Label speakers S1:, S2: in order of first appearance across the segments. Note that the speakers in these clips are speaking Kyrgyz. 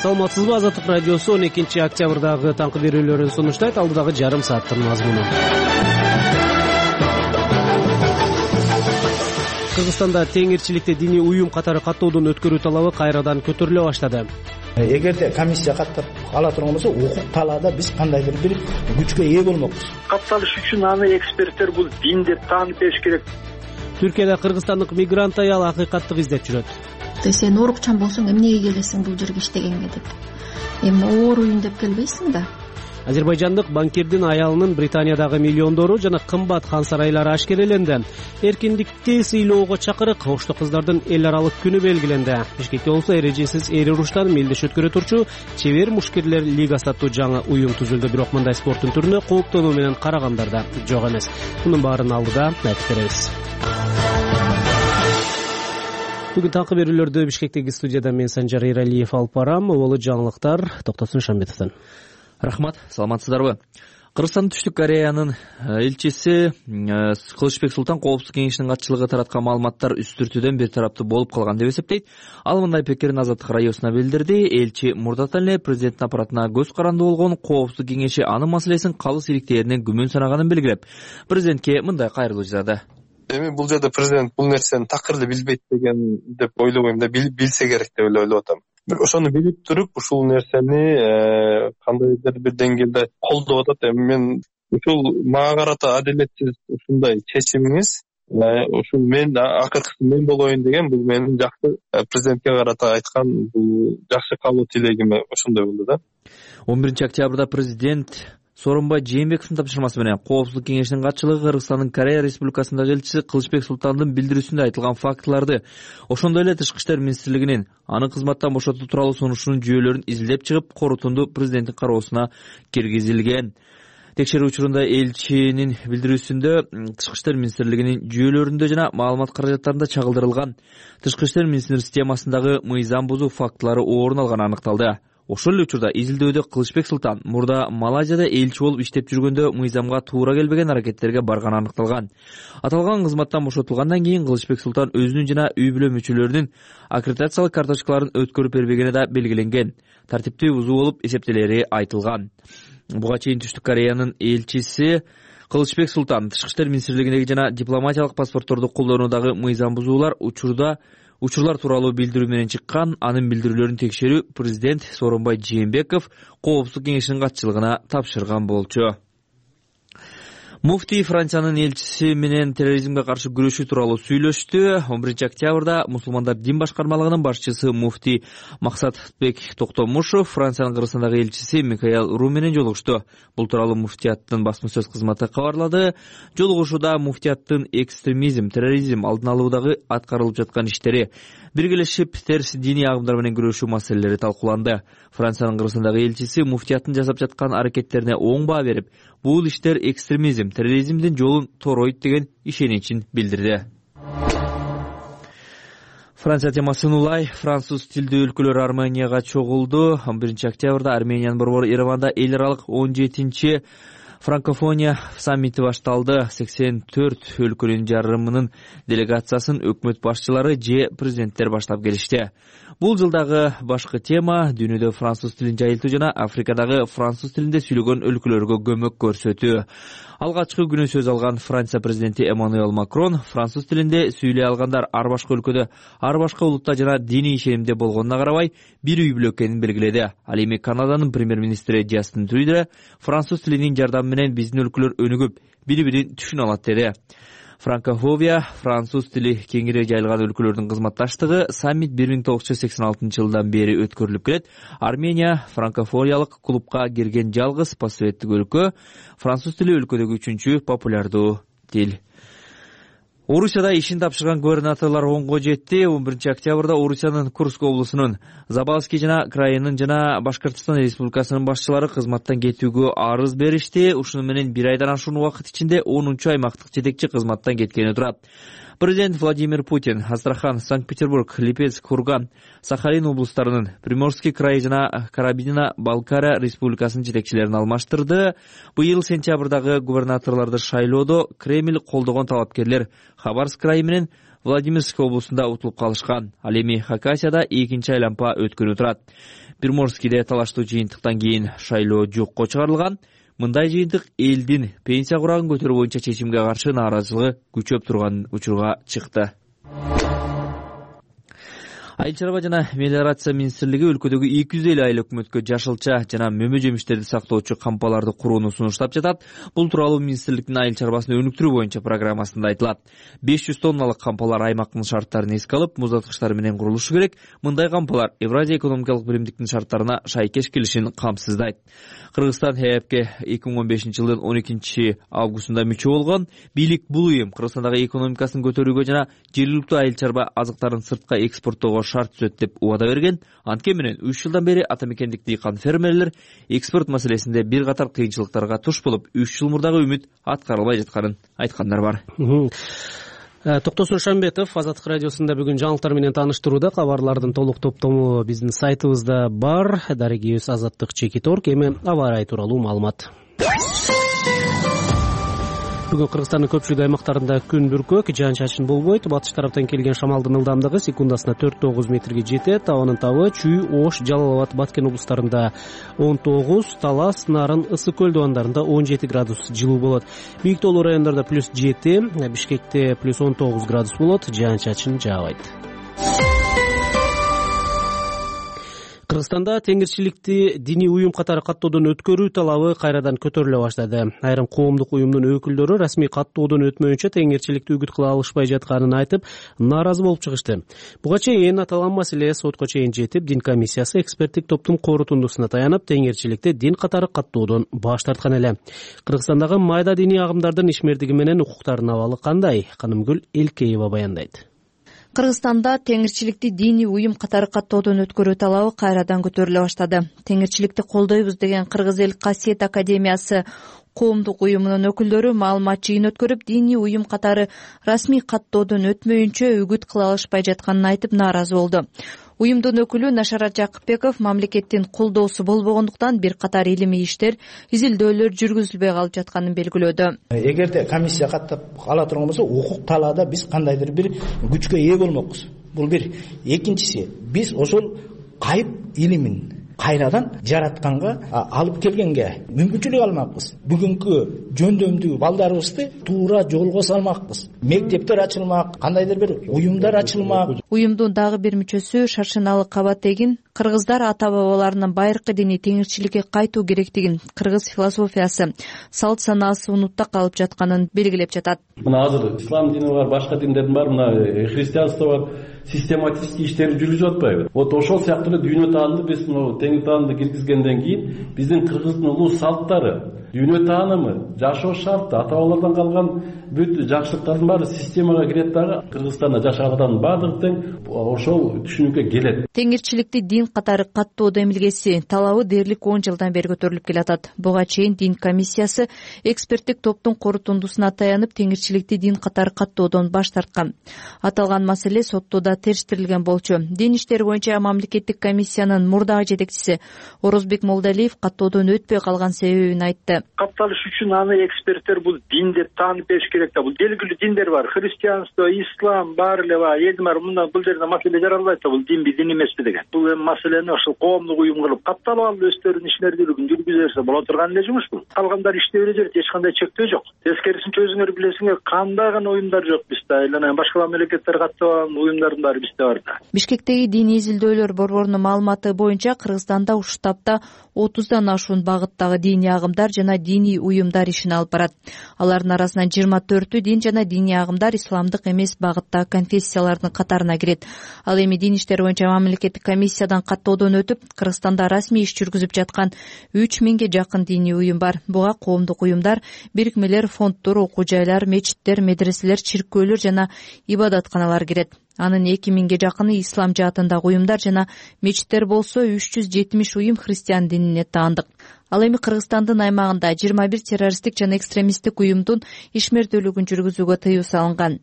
S1: Саламатсызбы, Азаттык радиосу 12 октябрдагы таңкы берүүлөрүн сунуштайт. Алдыдагы жарым сааттын мазмуну. Кыргызстанда теңирчиликте диний уюм катары каттоодон өткөрүү талабы кайрадан көтөрүлө баштады.
S2: Эгерде комиссия каттап ала турган болсо, укук талаада биз кандайдыр бир күчкө ээ болмокпуз.
S3: Катталыш үчүн аны эксперттер бул дин деп таанып бериш керек.
S1: Түркияда кыргызстандык мигрант аял акыйкаттык издеп жүрөт.
S4: Сен оорукчан болсоң эмнеге келесиң бул жерге иштегенге деп. Эми ооруйм деп келбейсиң да.
S1: Азербайжандык банкирдин аялынын Британиядагы миллиондору жана кымбат хан сарайлары ашкереленди. Эркиндикти сыйлоого чакырык ошту кыздардын эл аралык күнү белгиленди. Бишкекте болсо эрежесиз эри уруштан мелдеш өткөрө турчу Чебер мушкерлер лигасы аттуу жаңы уюм түзүлдү. Бирок мындай спорттун түрүнө кооптонуу менен карагандар да жок эмес. Мунун баарын алдыда айтып беребиз. Бүгүн таңкы берүүлөрдү Бишкектеги студияда мен Санжар Эралиев алып барам. Болу жаңылыктар Токтосун Шамбетовдон.
S5: Рахмат, саламатсыздарбы? Кыргызстан Түштүк Кореянын элчиси Кылычбек Султан Коопсуздук кеңешинин катчылыгы тараткан маалыматтар үстүртүүдөн бир тараптуу болуп калган деп эсептейт. Ал мындай пикирин Азаттык радиосуна билдирди. Элчи мурдатан эле президенттин аппаратына көз карандуу болгон Коопсуздук кеңеши анын маселесин калыс иликтээринен күмөн санаганын белгилеп, президентке мындай кайрылуу жасады.
S6: Эми бул жерде президент бул нерсени такырды билбейт деген деп ойлобойм да, билсе керек деп ойлоп атам. Ошону билип туруп ушул нерсени кандайдыр бир деңгээлде колдоп атат. Эми мен ушул мага карата адилетсиз ушундай чечимиңиз, ушул мен акыркысы мен болоюн деген бул менин жакшы президентке карата айткан бул жакшы кабыл тилегим ошондой болду да.
S5: 11 октябрда президент Сооронбай Жээнбековдун тапшырмасы менен Коопсуздук кеңешинин катчылыгы Кыргызстандын Корея Республикасындагы элчиси Кылычбек Султандын билдирүүсүндө айтылган фактыларды, ошондой эле Тышкы иштер министрлигинин аны кызматтан бошотуу тууралуу сунушунун жүйөлөрүн изилдеп чыгып, корутунду президенттин кароосуна киргизилген. Текшерүү учурунда элчинин билдирүүсүндө Тышкы иштер министрлигинин жүйөлөрүндө жана маалымат каражаттарында чагылдырылган Тышкы иштер министрлиги системасындагы мыйзам бузуу фактылары орун алганы аныкталды. Ошол эле учурда изилдөөдө Кылычбек Султан мурда Малайзияда элчи болуп иштеп жүргөндө мыйзамга туура келбеген аракеттерге барганы аныкталган. Аталган кызматтан бошотулгандан кийин Кылычбек Султан өзүнүн жана үй бүлө мүчөлөрүнүн аккредитациялык карточкаларын өткөрүп бербегени да белгиленген. Тартипти бузуу болуп эсептелери айтылган. Буга чейин Түштүк Кореянын элчиси Кылычбек Султан Тышкы иштер министрлигиндеги жана дипломатиялык паспортторду колдонуудагы мыйзам бузуулар учурлар тууралуу билдирүү менен чыккан. Анын билдирүүлөрүн текшерүү президент Сооронбай Жээнбеков Коопсуздук кеңешинин катчылыгына тапшырган болчу. Муфтий Франциянын элчиси менен терроризмге каршы күрөшүү тууралуу сүйлөштү. 11 октябрда мусулмандар дин башкармалыгынын башчысы муфтий Максатбек Токтомушов Франциянын Кыргызстандагы элчиси Микаэл Ру менен жолугушту. Бул тууралуу муфтияттын басма сөз кызматы кабарлады. Жолугушууда муфтияттын экстремизм, терроризм алдын алуудагы аткарылып жаткан иштери, биргелешип терс диний агымдар менен күрөшүү маселелери талкууланды. Франциянын Кыргызстандагы элчиси муфтияттын жасап жаткан аракеттерине оң баа берип, бул иштер экстремизм, терроризмдин жолун торойт деген ишеничин билдирди. Франция темасын улай француз тилдүү өлкөлөр Арменияга чогулду. 11 октябрда Армениянын борбору Ереванда эл аралык 17-чи франкофония саммити башталды. 84 өлкөнүн жарымынын делегациясын өкмөт башчылары же президенттер баштап келишти. Бул жылдагы башкы тема дүйнөдө француз тилин жайылтуу жана Африкадагы француз тилинде сүйлөгөн өлкөлөргө көмөк көрсөтүү. Алгачкы күнү сөз алган Франция президенти Эммануэл Макрон француз тилинде сүйлөй алгандар ар башка өлкөдө, ар башка улутта жана диний ишенимде болгонуна карабай бир үй бүлө экенин белгиледи. Ал эми Канаданын премьер-министри Джастин Трюдо француз тилинин жардамы менен биздин өлкөлөр өнүгүп, бири-бирин түшүнө алат деди. Франкофобия, француз тили кеңири жайылган өлкөлөрдүн кызматташтыгы саммит 1986 жылдан бери өткөрүлүп келет. Армения франкофониялык клубка кирген жалгыз постсоветтик өлкө, француз тили өлкөдөгү 3-чү популярдуу тил. Орусияда ишин тапшырган губернаторлор онго жетти. 11 октябрда Орусиянын Курск облусунун Забалский жана крайынын жана Башкортостон Республикасынын башчылары кызматтан кетүүгө арыз беришти. Ушуну менен бир айдан ашуун убакыт ичинде 10-чу аймактык жетекчи кызматтан кеткени турат. Президент Владимир Путин Астрахан, Санкт-Петербург, Липецк, Курган, Сахалин облустарынын Приморский край жана Карабино-Балкария республикасынын жетекчилерин алмаштырды. Быйыл сентябрдагы губернаторлорду шайлоодо Кремль колдогон талапкерлер Хабаровск крайы менен Владимирск облусунда утулуп калышкан. Ал эми Хакасияда экинчи айлампа өткөнүп турат. Приморскийде талаштуу жыйынтыктан кийин шайлоо жокко чыгарылган. Мындай жыйынтык элдин пенсия курагын көтөрүү боюнча чечимге каршы нааразылыгы күчөп турган учурга чыкты. Айыл чарба жана мелиорация министрлиги өлкөдөгү 250 айыл өкмөткө жашылча жана мөмө жемиштерди сактоочу кампаларды курууну сунуштап жатат. Бул тууралуу министрликтин айыл чарбасын өнүктүрүү боюнча программасында айтылат. 500 тонналык кампалар аймактын шарттарын эске алып, муздаткычтар менен курулушу керек. Мындай кампалар Евразия экономикалык биримдиктин шарттарына шайкеш келишин камсыздайт. Кыргызстан ХЭПке 2015-жылдын 12 августунда мүчө болгон. Бийлик бул уюм Кыргызстандагы экономикасын көтөрүүгө жана жергиликтүү айыл чарба азыктарын сыртка экспорттоого шарт түзөт деп убада берген. Анткени менен 3 жылдан бери ата мекендик дыйкан фермерлер экспорт маселесинде бир катар кыйынчылыктарга туш болуп, 3 жыл мурдагы үмүт аткарылбай жатканын айткандар бар.
S1: Токтосун Шамбетов Азаттык радиосунда бүгүн жаңылыктар менен тааныштырууда. Кабарлардын толук топтому биздин сайтыбызда бар. Дарегибиз Азаттык.org. Эми аба ырайы тууралуу маалымат. Бүгүн Кыргызстандын көпчүлүк аймактарында күн бүркөк, жаан-чачын болбойт. Батыш тараптан келген шамалдын ылдамдыгы секундасына 4-9 метрге жетет. Абанын табы Чүй, Ош, Жалал-Абад, Баткен облустарында 19, Талас, Нарын, Ысык көл дубандарында 17 градус жылуу болот. Бийик тоолуу райондордо +7, Бишкекте +19 градус болот. Жаан-чачын жаабайт. Кыргызстанда теңирчиликти диний уюм катары каттоодон өткөрүү талабы кайрадан көтөрүлө баштады. Айрым коомдук уюмдун өкүлдөрү расмий каттоодон өтмөйүнчө теңирчиликти үгүт кыла алышпай жатканын айтып, нааразы болуп чыгышты. Буга чейин аталган маселе сотко чейин жетип, дин комиссиясы эксперттик топтун корутундусуна таянып, теңирчиликти дин катары каттоодон баш тарткан эле. Кыргызстандагы майда диний агымдардын ишмердиги менен укуктарынын абалы кандай? Канымгүл Элкеева баяндайт.
S7: Кыргызстанда теңирчиликти диний уюм катары каттоодон өткөрүү талабы кайрадан көтөрүлө баштады. Теңирчиликти колдойбуз деген Кыргыз эл Касиет академиясы коомдук уюмунун өкүлдөрү маалымат жыйын өткөрүп, диний уюм катары расмий каттоодон өтмөйүнчө үгүт кыла алышпай жатканын айтып нааразы болду. Уюмдун өкүлү Нашарат Жакыпбеков мамлекеттин колдоосу болбогондуктан бир катар илимий иштер, изилдөөлөр жүргүзүлбөй калып жатканын белгилөөдө.
S2: Эгерде комиссия каттап ала турган болсо, укук талаада биз кандайдыр бир күчкө ээ болмокпуз. Бул бир. Экинчиси, биз ошол кайып илимин кайрадан жаратканга алып келгенге мүмкүнчүлүк алмакпыз. Бүгүнкү жөндөмдүү балдарыбызды туура жолго салмакпыз. Мектептер ачылмак, кандайдыр бир уюмдар ачылмак.
S7: Уюмдун дагы бир мүчөсү Шаршыналы Кабатегин кыргыздар ата-бабаларынын байыркы диний теңирчиликке кайтуу керектигин, кыргыз философиясы, салт санаасы унутта калып жатканын белгилеп жатат.
S8: Мына азыр ислам дини бар, башка диндердин бар, мына христианство бар, систематический иштери жүрүп атпайбы? Вот ошол сыяктуу дүйнө таанымды биз теңир таанымды киргизгенден кийин биздин кыргыздын улуу салттары, дүйнө таанымы, жашоо шарты, ата-бабалардан калган бүт жакшылыктардын баары системага кирет дагы. Кыргызстанда жашаган адамдын баардыгы тең ошол түшүнүккө келет.
S7: Теңирчиликти дин катары каттоо демилгеси талабы дээрлик 10 жылдан бери көтөрүлүп келатат. Буга чейин дин комиссиясы эксперттик топтун корутундусуна таянып, теңирчиликти дин катары каттоодон баш тарткан. Аталган маселе соттода териштирилген болчу. Дин иштери боюнча мамлекеттик комиссиянын мурдагы жетекчиси Орозбек Молдалиев каттоодон өтпөй калган себебин айтты.
S3: Катталыш үчүн аны эксперттер бул дин деп таанып бериш керек да. Бул белгилүү диндер бар. Христианство, ислам бар эле бар. Элдин баары мындан бул жерде маселе жаралбайт да. Бул динби, дин эмеспи деген. Бул эми маселени ошол коомдук уюм кылып катталып алып өздөрүнүн ишмердүүлүгүн жүргүзө боло турган эле жумуш бул. Калгандар иштей бере берет, эч кандай чектөө жок. Тескерисинче өзүңөр билесиңер, кандай гана уюмдар жок бизде. Айланайын башка мамлекеттер каттабаган уюмдардын баары бизде бар да.
S7: Бишкектеги диний изилдөөлөр борборунун маалыматы боюнча Кыргызстанда ушул таапта 30дан ашуун багыттагы диний агымдар жана диний уюмдар ишин алып барат. Алардын арасынан 24 дин жана диний агымдар исламдык эмес багыттагы конфессиялардын катарына кирет. Ал эми дин иштери боюнча мамлекеттик комиссиядан каттоодон өтүп, Кыргызстанда расмий иш жүргүзүп жаткан 3000ге жакын диний уюм бар. Буга коомдук уюмдар, бирикмелер, фонддор, окуу жайлар, мечиттер, медреселер, чиркөөлөр жана ибадатканалар кирет. Анын 2000ге жакыны ислам жаатындагы уюмдар жана мечиттер болсо 370 уюм христиан динине таандык. Ал эми Кыргызстандын аймагында 21 террористтик жана экстремисттик уюмдун ишмердүүлүгүн жүргүзүүгө тыюу салынган.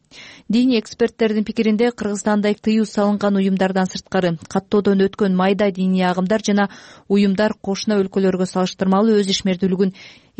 S7: Диний эксперттердин пикиринде Кыргызстанда тыюу салынган уюмдардан сырткары каттоодон өткөн майда диний агымдар жана уюмдар кошуна өлкөлөргө салыштырмалуу өз ишмердүүлүгүн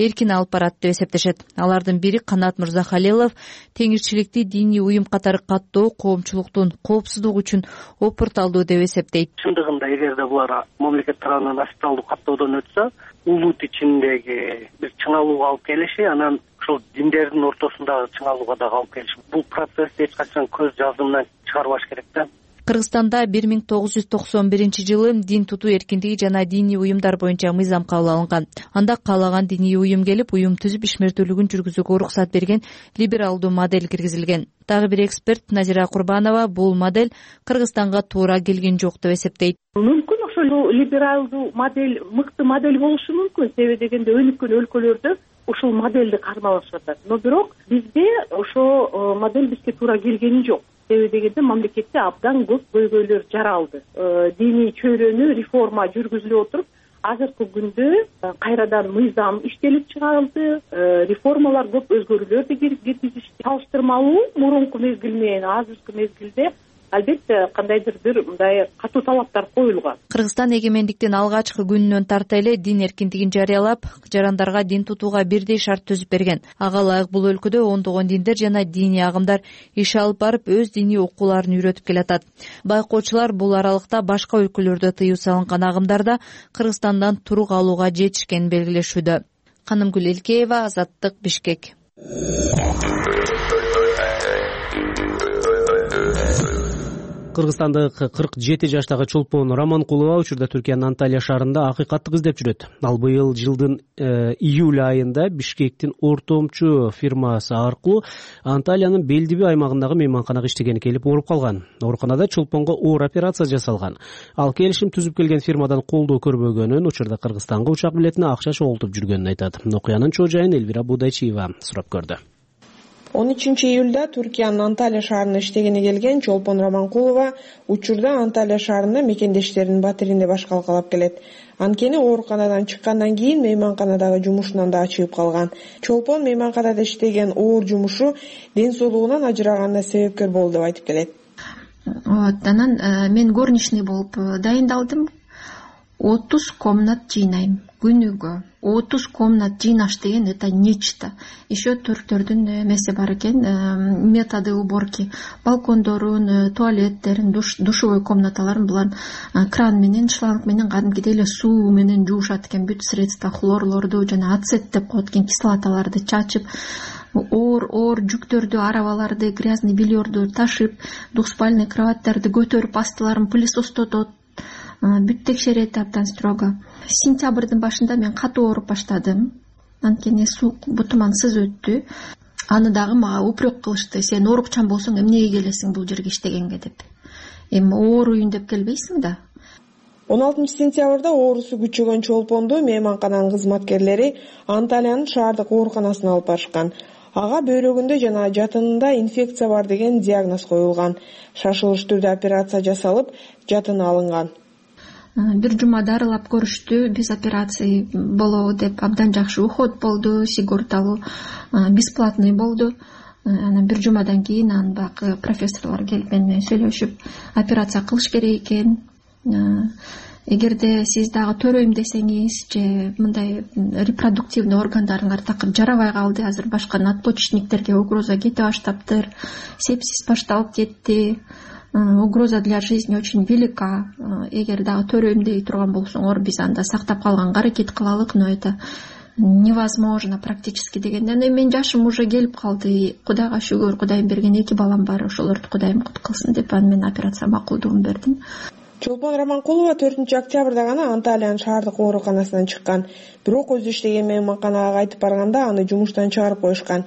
S7: эркин алып барат деп эсептешет. Алардын бири Канат Мырзахалилов теңирчиликти диний уюм катары каттоо коомчулуктун коопсуздугу үчүн опурталдуу деп эсептейт.
S9: Чындыгында эгерде булар мамлекет тарабынан официалдуу каттоодон өтсө, улут ичиндеги бир чыңалууга алып келиши, анан ушул диндердин ортосундагы чыңалууга дагы алып келиши. Бул процессти эч качан көз жазымынан чыгарбаш керек да.
S7: Кыргызстанда 1991 дин тутуу эркиндиги жана диний уюмдар боюнча мыйзам кабыл алынган. Анда каалаган диний уюм келип, уюм түзүп ишмердүүлүгүн жүргүзүүгө уруксат берген либералдуу модель киргизилген. Дагы бир эксперт Назира Курбанова бул модель Кыргызстанга туура келген жок деп эсептейт.
S10: Мүмкүн ошол либералдуу модель мыкты модель болушу мүмкүн. Себеби дегенде өнүккөн өлкөлөрдө ушул модельди кармалашып атат. Но бирок бизде ошо модель бизге туура келгени жок. Себеби дегенде мамлекетте абдан көп көйгөйлөр жаралды. Диний чөйрөнү реформа жүргүзүлүп отуруп, азыркы күндө кайрадан мыйзам иштелип чыгарылды, реформалар көп өзгөрүүлөрдү киргизишти. Салыштырмалуу мурунку мезгил менен азыркы мезгилде албетте кандайдыр бир мындай катуу талаптар коюлган.
S7: Кыргызстан эгемендиктин алгачкы күнүнөн тарта эле дин эркиндигин жарыялап, жарандарга дин тутууга бирдей шарт түзүп берген. Ага ылайык бул өлкөдө ондогон диндер жана диний агымдар иш алып барып, өз диний окууларын үйрөтүп келатат. Байкоочулар бул аралыкта башка өлкөлөрдө тыюу салынган агымдарда Кыргызстандан турук алууга жетишкенин белгилешүүдө. Канымгүл Элкеева, Азаттык, Бишкек.
S1: Кыргызстандык 47 жаштагы чолпон Раманкулова учурда Түркиянын Анталия шаарында акыйкаттык издеп жүрөт. Ал быйыл жылдын июль айында Бишкектин ортомчу фирмасы аркылуу Анталиянын Белдиби аймагындагы мейманканага иштегени келип ооруп калган. Ооруканада чолпонго оор операция жасалган. Ал келишим түзүп келген фирмадан колдоо көрбөгөнүн, учурда Кыргызстанга учак билетине акча чогултуп жүргөнүн айтат. Окуянын чоо жайын Элвира Будайчиева сурап көрдү.
S11: 13 июлда Түркиянын Анталия шаарына иштегени келген чолпон Раманкулова учурда Анталия шаарында мекендештеринин батиринде баш калкалап келет. Анткени ооруканадан чыккандан кийин мейманканадагы жумушунан да ачыгып калган. Чолпон мейманканада иштеген оор жумушу ден соолугунан ажыраганына себепкер болду деп айтып келет.
S4: Анан мен горничный болуп дайындалдым. 30 комнат жыйнайм күнүгө. 30 комнат жыйнаш деген это нечто. Еще түрктөрдүн эмеси бар экен, методы уборки, балкондорун, туалеттерин, душевой комнаталарын булар кран менен, шланг менен кадимкидей эле суу менен жуушат экен, бүт средства, хлорлорду жана ацет деп коет экен, кислоталарды чачып, оор жүктөрдү, арабаларды, грязный бельерду ташып, двухспальный кроваттарды көтөрүп, астыларын пылесостотот, бүт текшерет абдан строго. Сентябрдын башында мен катуу ооруп баштадым. Анткени суу бутумансыз өттү. Аны дагы мага упрек кылышты. Сен оорукчан болсоң эмнеге келесиң бул жерге иштегенге деп. Эми ооруйн деп келбейсиң да.
S11: 16 сентябрда оорусу күчөгөн чолпонду мейманкананын кызматкерлери Анталиянын шаардык ооруканасына алып барышкан. Ага бөйрөгүндө жана жатынында инфекция бар деген диагноз коюлган. Шашылыш түрдө операция жасалып, жатыны алынган.
S4: Бир жума дарылап көрүштү, биз операция болобу деп, абдан жакшы уход болду, сигорталуу, бесплатный болду. Анан бир жумадан кийин анын бак профессорлор келип менен сүйлөшүп, операция кылыш керек экен. Эгерде сиз дагы төрөйм десеңиз, же мындай репродуктивный органдарыңар такыр жарабай калды, азыр башка надпочечниктерге угроза кете баштаптыр, сепсис башталып кетти. Угроза для жизни очень велика. Эгер дагы төрөйм дей турган болсоңор, биз анда сактап калганга аракет кылалык, но это невозможно практически дегенде. Мен жашым уже келип калды. Кудайга шүгүр, Кудайым берген 2 балам бар, ошолорду Кудайым кут кылсын деп мен операция макулдугун бердим.
S11: Чолпон Раманкулова 4 октябрда гана Анталиянын шаардык ооруканасынан чыккан. Бирок өзү иштеген мейманканага кайтып барганда аны жумуштан чыгарып коюшкан.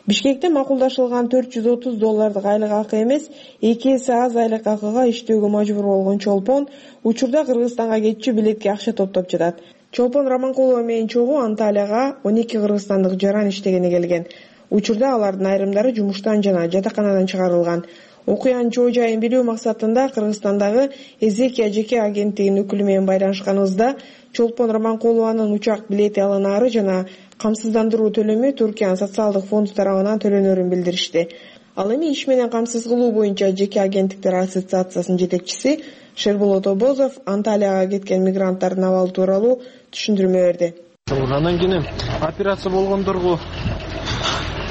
S11: Бишкекте макулдашылган $430 айлык акы эмес, 2 эсе аз айлык акыга иштөөгө мажбур болгон чолпон учурда Кыргызстанга кетчү билетке акча топтоп жатат. Чолпон Раманкулова менен чогуу Анталияга 12 кыргызстандык жаран иштегени келген. Учурда алардын айрымдары жумуштан жана жатаканадан чыгарылган. Окуянын чоо жайын билүү максатында Кыргызстандагы Эзекия жеке агенттигинин өкүлү менен байланышканыбызда чолпон Раманкулованын учак билети алынаары жана камсыздандыруу төлөмү Түркиянын социалдык фонду тарабынан төлөнөрүн билдиришти. Ал эми иш менен камсыз кылуу боюнча жеке агенттиктер ассоциациясынын жетекчиси Шерболот Обозов Анталияга кеткен мигранттардын абалы тууралуу түшүндүрмө берди.
S12: Андан кийин операция болгондорго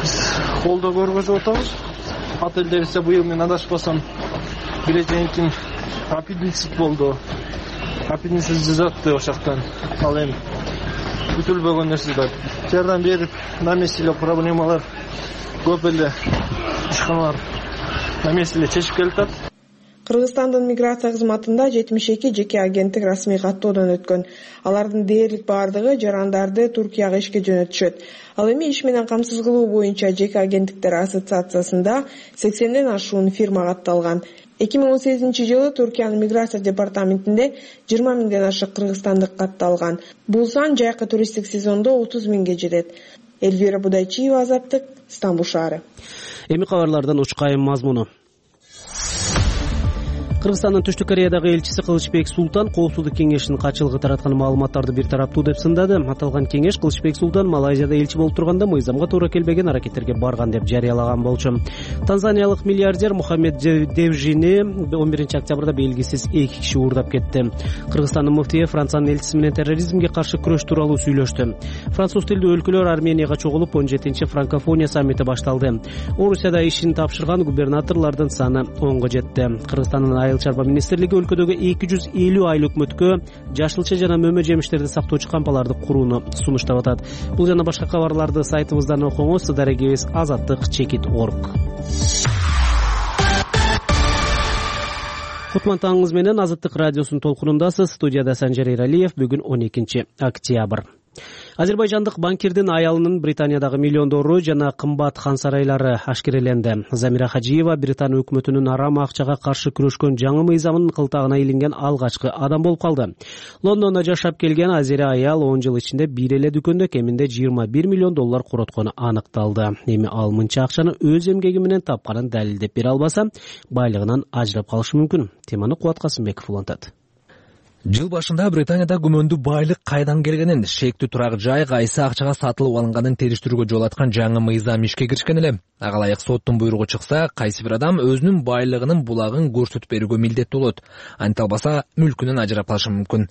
S12: биз колдоо көргөзүп атабыз. Отелде ise быйыл мен адашпасам биринчи аппендицит болду. Аппендицит жазатты ошактан. Ал эми бүтүлбөгөн нерсе да жардам берип, на месте эле проблемалар көп эле ишканалар на месте эле чечип келатат.
S11: Кыргызстандын миграция кызматында 72 жеке агенттик расмий каттоодон өткөн. Алардын дээрлик бардыгы жарандарды Туркияга ишке жөнөтүшөт. Ал эми иш менен камсыз кылуу боюнча жеке агенттиктер ассоциациясында 80ден ашуун фирма катталган. 2018-жылы Туркиянын миграция департаментинде 20 миңден ашык кыргызстандык катталган. Бул сан жайкы туристтик сезондо 30 миңге жетет. Элвира Будайчиева, Азаттык, Стамбул шаары.
S1: Эми кабарлардан учкайым мазмуну. Кыргызстандын Түштүк Кореядагы элчиси Кылычбек Султан Коопсуздук кеңешинин катчылыгы тараткан маалыматтарды бир тараптуу деп сындады. Аталган кеңеш Кылычбек Султан Малайзияда элчи болуп турганда мыйзамга туура келбеген аракеттерге барган деп жарыялаган болчу. Танзаниялык миллиардер Мухаммед Девжини 11 октябрда белгисиз 2 киши уурдап кетти. Кыргызстандын муфтийи Франциянын элчиси менен терроризмге каршы күрөш тууралуу сүйлөштү. Француз тилдүү өлкөлөр Арменияга чогулуп 17 Франкофония саммити башталды. Орусияда ишин тапшырган губернаторлордун саны 10го жетти. Кыргызстандын Айыл чарба министрлиги өлкөдөгү 250 айыл өкмөткө жашылча жана мөмө жемиштерди сактоочу кампаларды курууну сунуштап атат. Бул жана башка кабарларды сайтыбыздан окуңуз. Дарегибиз azattik.org. Кутман таңыңыз менен Азаттык радиосунун толкунундасыз. Студияда Санжар Эралиев. Бүгүн 12 октябрь. Азербайжандык банкирдин аялынын Британиядагы миллиондору жана кымбат хан сарайлары ашкереленди. Замира Хажиева Британ өкмөтүнүн арам акчага каршы күрөшкөн жаңы мыйзамынын кылтагына илинген алгачкы адам болуп калды. Лондондо жашап келген азери аял 10 жыл ичинде бир эле дүкөндө кеминде $21 миллион короткону аныкталды. Эми ал мынча акчаны өз эмгеги менен тапканын далилдеп бере албаса, байлыгынан ажырап калышы мүмкүн. Теманы Кубат Касымбеков улантат.
S13: Жыл башында Британияда күмөндүү байлык кайдан келгенин, шектүү турак жай кайсы акчага сатылып алынганын териштирүүгө жол аткан жаңы мыйзам ишке киришкен эле. Ага ылайык соттун буйругу чыкса, кайсы бир адам өзүнүн байлыгынын булагын көрсөтүп берүүгө милдеттүү болот. Анте албаса, мүлкүнөн ажырап калышы мүмкүн.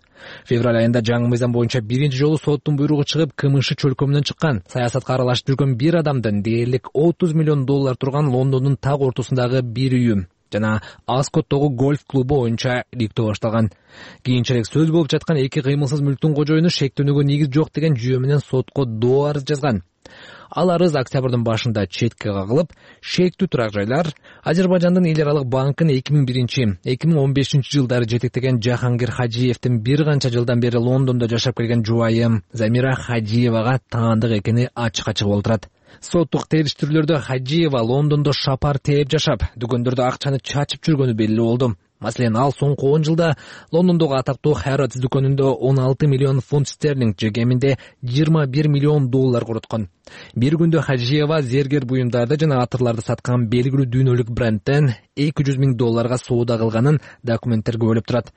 S13: Февраль айында жаңы мыйзам боюнча биринчи жолу соттун буйругу чыгып, КМШ чөлкөмүнөн чыккан. Саясатка аралашып жүргөн бир адамдын дээрлик $30 миллион турган Лондондун так ортосундагы бир үйү жана Аскоттогу гольф клубу боюнча ириктөө башталган. Кийинчерээк сөз болуп жаткан эки кыймылсыз мүлктүн кожоюну шектөөнүгө негиз жок деген жүйө менен сотко доо арыз жазган. Ал арыз октябрдын башында четке кагылып, шектүү турак жайлар Азербайжандын эл аралык банкын 2001-2015 жылдары жетектеген Жахангир Хажиевдин бир канча жылдан бери Лондондо жашап келген жубайы Замира Хажиевага таандык экени ачык-ачык болуп турат. Соттук териштирүүлөрдө Хажиева Лондондо шапар тээп жашап, дүкөндөрдө акчаны чачып жүргөнү белгилүү болду. Маселен, ал соңку 10 жылда Лондондогу атактуу Harrods дүкөнүндө 16 миллион фунт стерлинг же кеминде $21 миллион короткон. Бир күндө Хажиева зергер буюмдарды жана атырларды саткан белгилүү дүйнөлүк брендтен $200 миң соода кылганын документтер күбөлөп турат.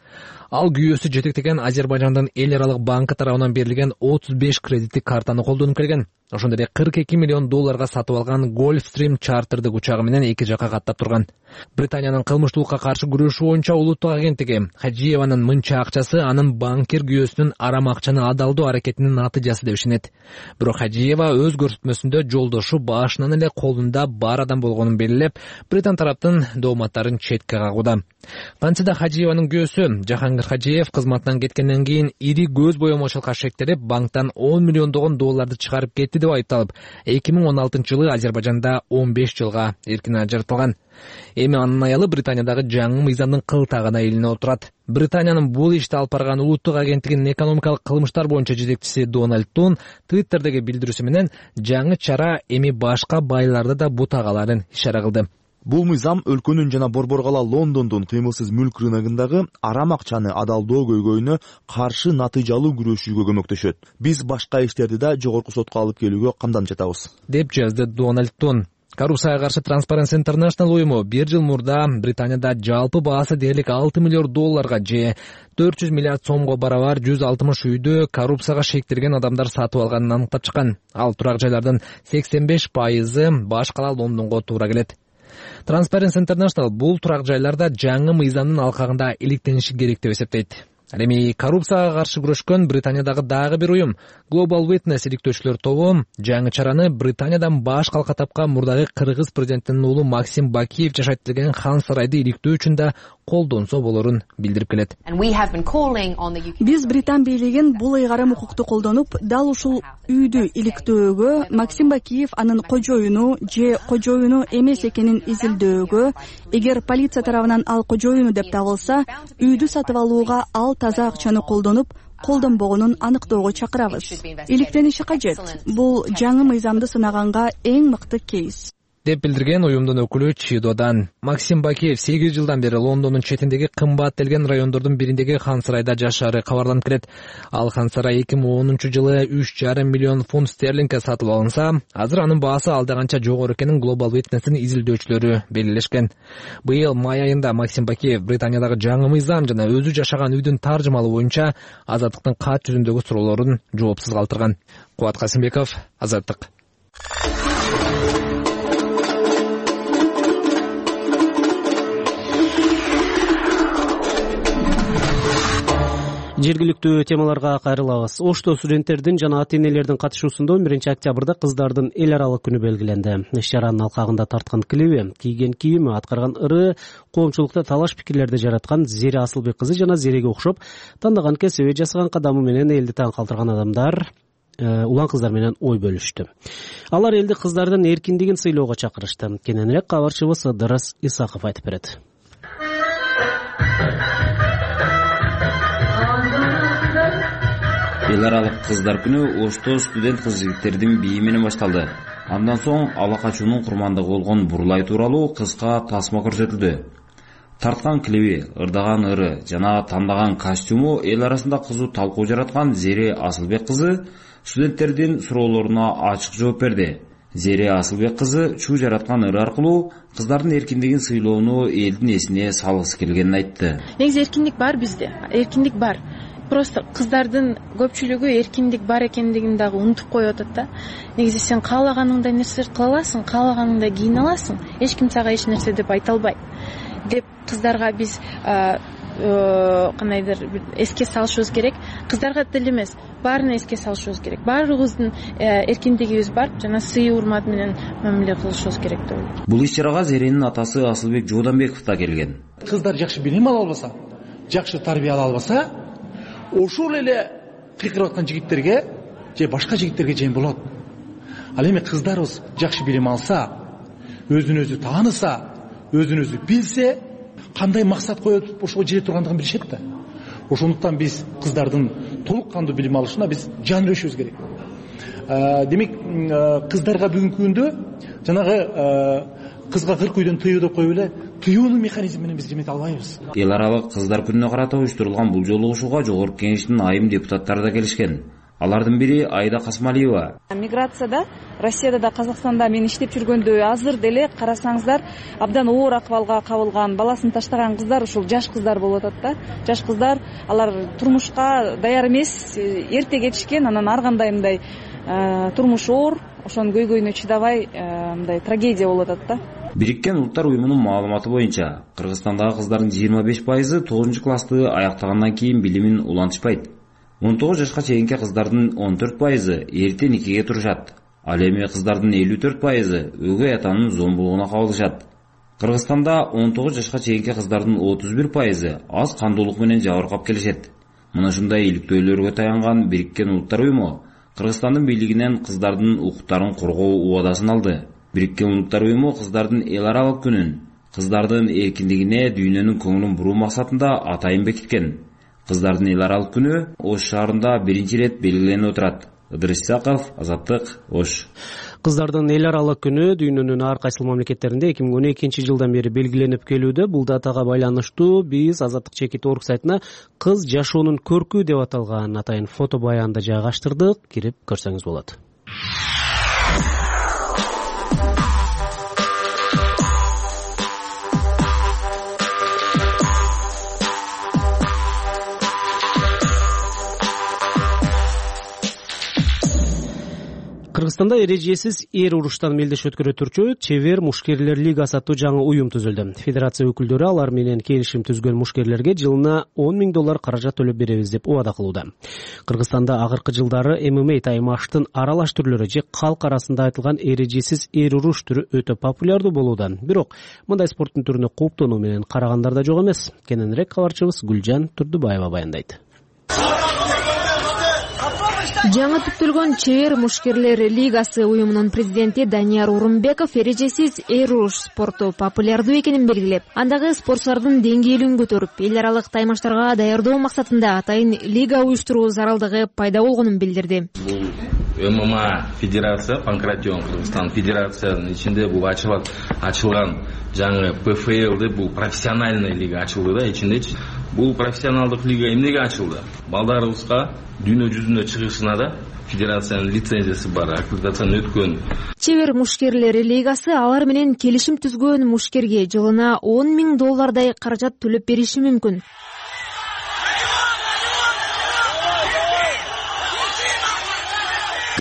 S13: Ал күйөөсү жетектеген Азербайжандын эл аралык банкы тарабынан берилген 35 кредиттик картаны колдонуп келген. Ошондой эле $42 миллион сатып алган Gulfstream чартырдык учагы менен эки жака каттап турган. Британиянын кылмыштуулукка каршы күрөшүү боюнча улуттук агенттиги Хажиеванын мынча акчасы анын банкир күйөөсүнүн арам акчаны адалдоо аракетинин натыйжасы деп ишенет. Бирок Хажиева өз көрсөтмөсүндө жолдошу башынан эле колунда бар адам болгонун белгилеп, Британ тараптын дооматтарын четке кагууда. Кантсе да Хажиеванын күйөөсү Жахангир Хажиев кызматынан кеткенден кийин ири көз боемочулукка шектелип, банктан $10 миллион чыгарып кетти деп айыпталып, 2016-жылы Азербайжанда 15 жылга эркин ажыратылган. Эми анын аялы Британиядагы жаңы мыйзамдын кылтагына илинип отурат. Британиянын бул ишти алып барган улуттук агенттигинин экономикалык кылмыштар боюнча жетекчиси Дональд Тун Twitterдеги билдирүүсү менен жаңы чара эми башка байларды да бутагаларын ишара кылды.
S14: Бул мыйзам өлкөнүн жана Борборгала Лондондун кыймылсыз мүлк рыногундагы арам акчаны адалдоо көйгөйүнө каршы натыйжалуу күрөшүүгө көмөктөшөт. Биз башка иштерди да жогорку сотко алып келүүгө камданып жатабыз,
S13: деп жазды Дональд Тун. Коррупцияга каршы Transparency International уюму бир жыл мурда Британияда жалпы баасы дээрлик $6 миллион же 400 миллиард сомго барабар 160 үйдү коррупцияга шектелген адамдар сатып алганын аныктап чыккан. Ал турак жайлардын 85% баш кала Лондонго туура келет. Transparency International бул турак жайларда жаңы мыйзамдын алкагында иликтениши керек деп эсептейт. Ал эми коррупцияга каршы күрөшкөн Британиядагы дагы бир уюм Global Witness иликтөөчүлөр тобу жаңы чараны Британиядан баш калка тапкан мурдагы кыргыз президентинин уулу Максим Бакиев жашайт деген хан сарайды иликтөө үчүн да колдонсо болорун билдирип келет.
S15: Биз Британ бийлигин бул ыйгарым укукту колдонуп, дал ушул үйдү иликтөөгө, Максим Бакиев анын кожоюну же кожоюну эмес экенин изилдөөгө, эгер полиция тарабынан ал кожоюну деп табылса, үйдү сатып алууга ал таза акчаны колдонуп, колдонбогонун аныктоого чакырабыз. Иликтениши кажет. Бул жаңы мыйзамды сынаганга эң мыкты кейс,
S13: деп билдирген уюмдун өкүлү Чидодан. Максим Бакиев 8 жылдан бери Лондондун четиндеги кымбаттелген райондордун бириндеги хан сарайда жашаары кабарланып келет. Ал хан сарай 2010-жылы 3,5 миллион фунт стерлингке сатылып алынса, азыр анын баасы алда канча жогору экенин Global Witness'ин изилдөөчүлөрү белгилешкен. Быйыл май айында Максим Бакиев Британиядагы жаңы мыйзам жана өзү жашаган үйдүн таржымалы боюнча Азаттыктын кат жүзүндөгү суроолорун жоопсуз калтырган. Кубат Касымбеков, Азаттык.
S1: Жергиликтүү темаларга кайрылабыз. Ошто студенттердин жана ата-энелердин катышуусунда 11-октябрда кыздардын эл аралык күнү белгиленди. Иш-чаранын алкагында тарткан клиби, кийген кийими, аткарган ыры коомчулукта талаш пикирлерди жараткан Зере Асылбек кызы жана Зереге окшоп тандаган кесиби, жасаган кадамы менен элди таң калтырган адамдар улан кыздар менен ой бөлүштү. Алар элди кыздардын эркиндигин сыйлоого чакырышты. Кененирээк кабарчыбыз Ыдырыс Исаков айтып берет.
S16: Эл аралык кыздар күнү Ошто студент кыз-жигиттердин бии менен башталды. Андан соң ала качуунун курмандыгы болгон Бурлай тууралуу кыска тасма көрсөтүлдү. Тарткан клиби, ырдаган ыры жана тандаган костюму эл арасында кызуу талкуу жараткан Зере Асылбек кызы студенттердин суроолоруна ачык жооп берди. Зере Асылбек кызы чуу жараткан ыры аркылуу кыздардын эркиндигин сыйлоону элдин эсине салгысы келгенин айтты.
S17: Негизи эркиндик бар бизде, эркиндик бар. Просто кыздардын көпчүлүгү эркиндик бар экендигин дагы унутуп коюп атат да. Негизи сен каалаганыңдай нерселерди кыла аласың, каалаганыңдай кийине аласың. Эч ким сага эч нерсе деп айта албайт. Деп кыздарга биз кандайдыр бир эске салышыбыз керек. Кыздарга деле эмес, баарына эске салышыбыз керек. Баарыбыздын эркиндигибиз бар жана сый урмат менен мамиле кылышыбыз керек деп ойлойм.
S16: Бул иш-чарага Зеренин атасы Асылбек Жууданбеков да келген.
S18: Кыздар жакшы билим ала албаса, жакшы тарбия ала албаса, ошол эле кыйкырып аткан жигиттерге же башка жигиттерге жем болот. Ал эми кыздарыбыз жакшы билим алса, өзүн өзү тааныса, өзүн өзү билсе, кандай максат коюп ошого жете тургандыгын билишет да. Ошондуктан биз кыздардын толук кандуу билим алышына биз жан беришибиз керек. Демек, кыздарга бүгүнкү күндө жанагы кызга 40 үйдөн тыюу деп коюп эле тыюунун механизми менен биз жемете албайбыз.
S16: Эл аралык кыздар күнүнө карата уюштурулган бул жолугушууга Жогорку Кеңештин айым депутаттары да келишкен. Алардын бири Айда Касмалиева.
S19: Миграцияда, Россияда да, Казакстанда мен иштеп жүргөндө азыр деле карасаңыздар, абдан оор акыбалга кабылган, баласын таштаган кыздар ушул жаш кыздар болуп атат да. Жаш кыздар, алар турмушка даяр эмес, эрте кетишкен, анан ар кандай мындай турмуш оор, ошонун көйгөйүнө чыдабай мындай трагедия болуп атат да.
S16: Бириккен Улуттар уюмунун маалыматы боюнча, Кыргызстандагы кыздардын 25% 9-классты аяктагандан кийин билимин улантышпайт. 19 жашка чейинки кыздардын 14% эрте никеге турушат. Ал эми кыздардын 54% өгөй атанын зомбулугуна кабылышат. Кыргызстанда 19 жашка чейинки кыздардын 31% аз кандуулук менен жабыркап келишет. Мына ушундай иликтөөлөргө таянган Бириккен Улуттар уюму Кыргызстандын бийлигинен кыздардын укуктарын коргоо убадасын алды. Бириккен Улуттар уюму кыздардын эл аралык күнүн кыздардын эркиндигине дүйнөнүн көңүлүн буруу максатында атайын бекиткен. Кыздардын эл аралык күнү Ош шаарында биринчи ирет белгиленип отурат. Ыдырыс Исаков, Азаттык, Ош.
S1: Кыздардын эл аралык күнү дүйнөнүн ар кайсы мамлекеттеринде 2012-жылдан бери белгиленип келүүдө. Бул датага байланыштуу биз Азаттык чекит орг сайтына кыз жашоонун көркү деп аталган атайын фото баянды жайгаштырдык. Кирип көрсөңүз болот. Кыргызстанда эрежесиз эр уруштан мелдеш өткөрө турчу Чебер мушкерлер лигасы аттуу жаңы уюм түзүлдү. Федерация өкүлдөрү алар менен келишим түзгөн мушкерлерге жылына $10,000 каражат төлөп беребиз деп убада кылууда. Кыргызстанда агыркы жылдары ММА таймаштын аралаш түрлөрү же калк арасында айтылган эрежесиз эр уруш түрү өтө популярдуу болууда. Бирок мындай спорттун түрүнө кооптонуу менен карагандар да жок эмес. Кененирээк кабарчыбыз Гүлжан Турдубаева баяндайт.
S20: Жаңы түптөлгөн Чебер мушкерлер лигасы уюмунун президенти Данияр Урумбеков эрежесиз эр уруш спорту популярдуу экенин белгилеп, андагы спортчулардын деңгээлин көтөрүп, эл аралык таймаштарга даярдоо максатында атайын лига уюштуруу зарылдыгы пайда болгонун билдирди.
S21: Бул ММА федерация, Панкратион Кыргызстан федерациянын ичинде бул ачылган жаңы ПФЛ деп бул профессиональный лига ачылды да ичиндечи. Бул профессионалдык лига эмнеге ачылды? Балдарыбызга дүйнө жүзүнө чыгышына да федерациянын лицензиясы бар, аккредитацияны өткөн.
S20: Чебер мушкерлер лигасы алар менен келишим түзгөн мушкерге жылына $10,000 каражат төлөп бериши мүмкүн.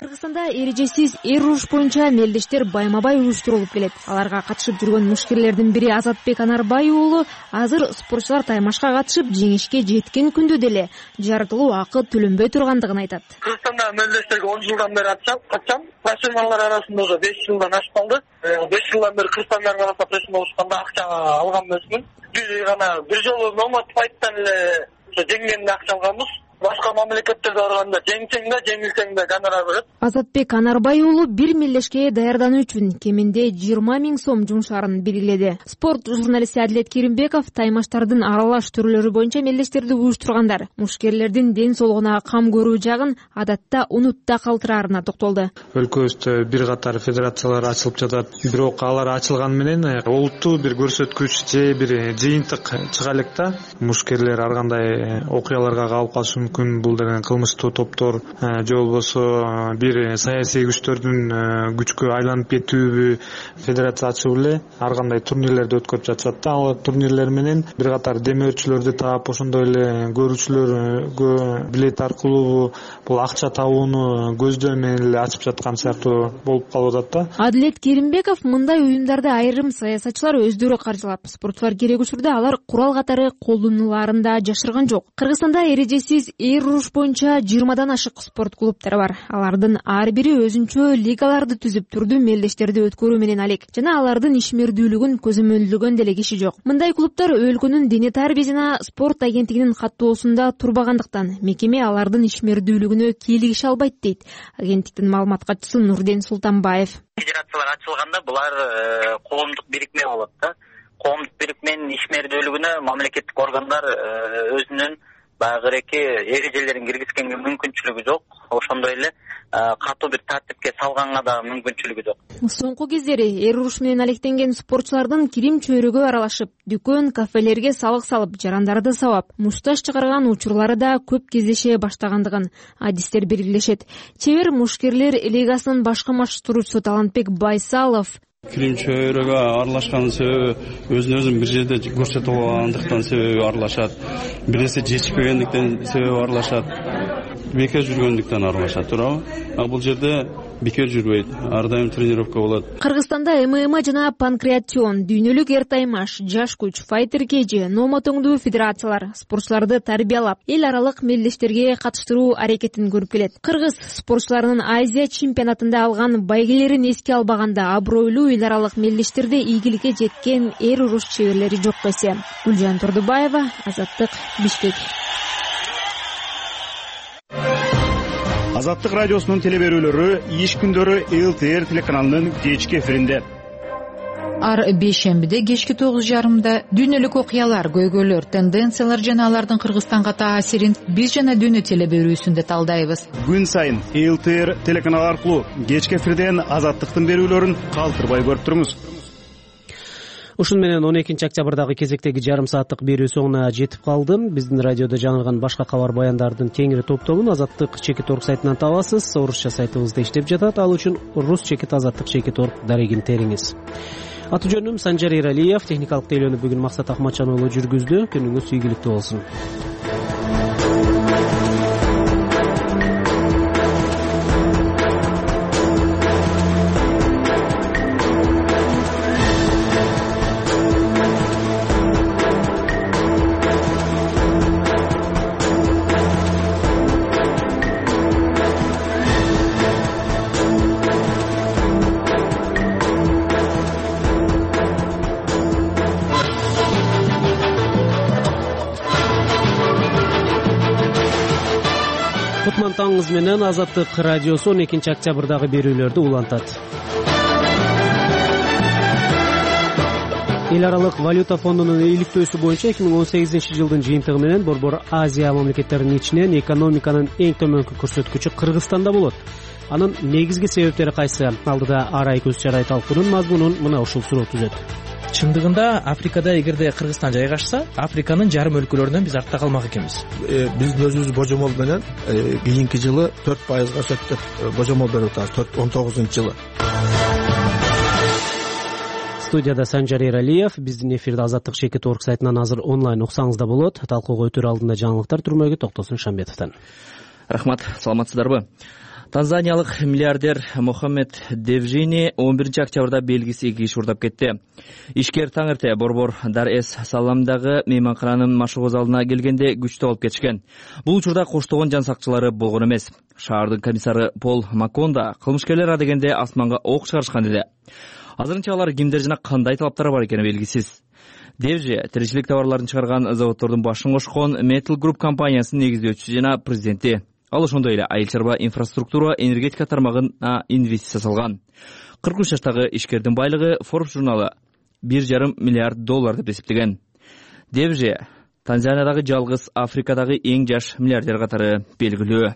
S20: Кыргызстанда эрежесиз эр уруш боюнча мелдештер байма-бай уюштурулуп келет. Аларга катышып жүргөн мушкерлердин бири Азатбек Анарбай уулу азыр спортчулар таймашка катышып жеңишке жеткен күндө деле жаратылуу акы төлөнбөй тургандыгын айтат.
S22: Кыргызстанда мелдештерге 10 жылдан бери катышам. Профессионалдар арасында уже 5 жылдан ашып калды. 5 жылдан бери Кыргызстандар арасында профессионал болушканда акча алган эмесмин. Бир жолу номад файттан эле жеңгенде акча алганбыз. Башка мамлекеттерде барганда жеңсең да, жеңилсең да гонорар берет.
S20: Азатбек Анарбай уулу бир мелдешке даярдануу үчүн кеминде 20,000 сом жумшаарын белгиледи. Спорт журналисти Адилет Керимбеков таймаштардын аралаш түрлөрү боюнча мелдештерди уюштургандар мушкерлердин ден соолугуна кам көрүү жагын адатта унутта калтыраарына токтолду.
S23: Өлкөбүздө бир катар федерациялар ачылып жатат. Бирок алар ачылган менен олуттуу бир көрсөткүч же бир жыйынтык чыга элек да. Мушкерлер ар кандай окуяларга калып калышы мүмкүн. Бул деген кылмыштуу топтор же болбосо бир саясий күчтөрдүн күчкө айланып кетүүбү федерация ачып эле ар кандай турнирлерди өткөрүп жатышат да. Ал турнирлер менен бир катар демөөрчүлөрдү таап, ошондой эле көрүүчүлөргө билет аркылуу бул акча табууну көздөм менен эле ачып жаткан сыяктуу болуп калып атат да.
S20: Адилет Керимбеков мындай уюмдарды айрым саясатчылар өздөрү каржылап, спортчулар керек учурда алар курал катары колдонуларын да жашырган жок. Кыргызстанда эрежесиз эр уруш боюнча 20дан ашык спорт клубтары бар. Алардын ар бири өзүнчө лигаларды түзүп турдуу мелдештерди өткөрүү менен алек жана алардын ишмердүүлүгүн көзөмөлдөгөн деле киши жок. Мындай клубтар өлкөнүн дене тарбия жана спорт агенттигинин каттоосунда турбагандыктан мекеме алардын ишмердүүлүгүнө кийлигише албайт дейт агенттиктин маалымат катчысы Нурден Султанбаев.
S24: Федерациялар ачылганда булар коомдук бирикме болот да. Коомдук бирикменин ишмердүүлүгүнө мамлекеттик органдар өзүнүн багыреки эрежелерин киргизгенге мүмкүнчүлүгү жок. Ошондой эле катуу бир тартипке салганга да мүмкүнчүлүгү жок.
S20: Соңку кездери эр уруш менен алектенген спортчулардын кирим чөйрөгө аралашып, дүкөн, кафелерге салык салып, жарандарды сабап, мушташ чыгарган учурлары да көп кездеше баштагандыгын адистер белгилешет. Чебер мушкерлер лигасынын башкы машыктыруучусу Талантбек Байсалов
S25: кирим чөйрөгө аралашканын себеби өзүн бир жерде көрсөтүп алгандыктан себеби аралашат. Бир нерсе жетишпегендиктен себеби аралашат. Бекер жүргөндүктөн аралашат, туурабы? А бул жерде бекер жүрбөйт. Ар дайым тренировка болот.
S20: Кыргызстанда ММА жана Панкратион, дүйнөлүк эр таймаш, жаш күч, файтер кежи, номотоңдуу федерациялар спортчуларды тарбиялап, эл аралык мелдештерге катыштыруу аракетин көрүп келет. Кыргыз спортчуларынын Азия чемпионатында алган байгелерин эске албаганда абройлуу эл аралык мелдештерде ийгиликке жеткен эр уруш чеберлери жок десе. Гүлжан Турдубаева, Азаттык, Бишкек.
S26: Азаттык радиосунун телеберүүлөрү иш күндөрү ЛТР телеканалынын кечки эфиринде.
S27: Ар бейшембиде кечки 9:30 дүйнөлүк окуялар, көйгөйлөр, тенденциялар жана алардын Кыргызстанга таасирин биз жана дүйнө телеберүүсүндө талдайбыз.
S26: Күн сайын ЛТР телеканалы аркылуу кечки эфирден Азаттыктын берүүлөрүн калтырбай көрүп туруңуз.
S1: Ушун менен 12-октябрдагы кезектеги жарым сааттык берүү соңуна жетип калды. Биздин радиодо жаңырган башка кабар баяндардын кеңири топтомун Азаттык Чекит.орг сайтынан табасыз. Орусча сайтыбызда иштеп жатат. Ал үчүн Рус Чекит Азаттык Чекит.орг дарегин териңиз. Аты жөнүм Санжар Эралиев, техникалык тейлөөнү бүгүн Максат Акматжан уулу жүргүздү. Күнүңүз ийгиликтүү болсун. кутман таңыңыз менен. Азаттык радиосу 12 октябрдагы берүүлөрдү улантат. Эл аралык валюта фондунун иликтөөсү боюнча 2018 жылдын жыйынтыгы менен Борбор Азия мамлекеттеринин ичинен экономиканын эң төмөнкү көрсөткүчү Кыргызстанда болот. Анын негизги себептери кайсы? Алдыда арай көз чарай талкуунун мазмунун мына ушул суроо түзөт.
S13: Чындыгында Африкада эгерде Кыргызстан жайгашса, Африканын жарым өлкөлөрүнөн биз артта калмак экенбиз.
S2: Биздин өзүбүз божомол менен кийинки жылы 4%га өсөт деп божомол берип атабыз. 19-жылы.
S1: Студияда Санжар Эралиев. Биздин эфирде Азаттык Чекит.org сайтынан азыр онлайн уксаңыз да болот. Талкууга өтөр алдында жаңылыктар түрмөгү Токтосун Шамбетовдон.
S3: Рахмат, саламатсыздарбы? Танзаниялык миллиардер Мохаммед Девжини 11 октябрда белгисиз 2 киши урдап кетти. Ишкер таң эрте Борбор Дар-эс-Саламдагы мейманкананын машыгуу залына келгенде күчтүү алып кетишкен. Бул учурда коштогон жан сакчылары болгон эмес. Шаардын комиссары Пол Маконда кылмышкерлер адегенде асманга ок чыгарышкан деди. Азырынча алар кимдер жана кандай талаптары бар экени белгисиз. Девжи тиричилик товарларын чыгарган заводдордун башын кошкон Metal Group компаниясынын негиздөөчүсү жана президенти. Ал ошондой эле айыл чарба инфраструктура, энергетика тармагына инвестиция салган. 43 жаштагы ишкердин байлыгы Forbes журналы $1,5 миллиард деп эсептеген. Девжи Танзаниядагы жалгыз Африкадагы эң жаш миллиардер катары белгилүү.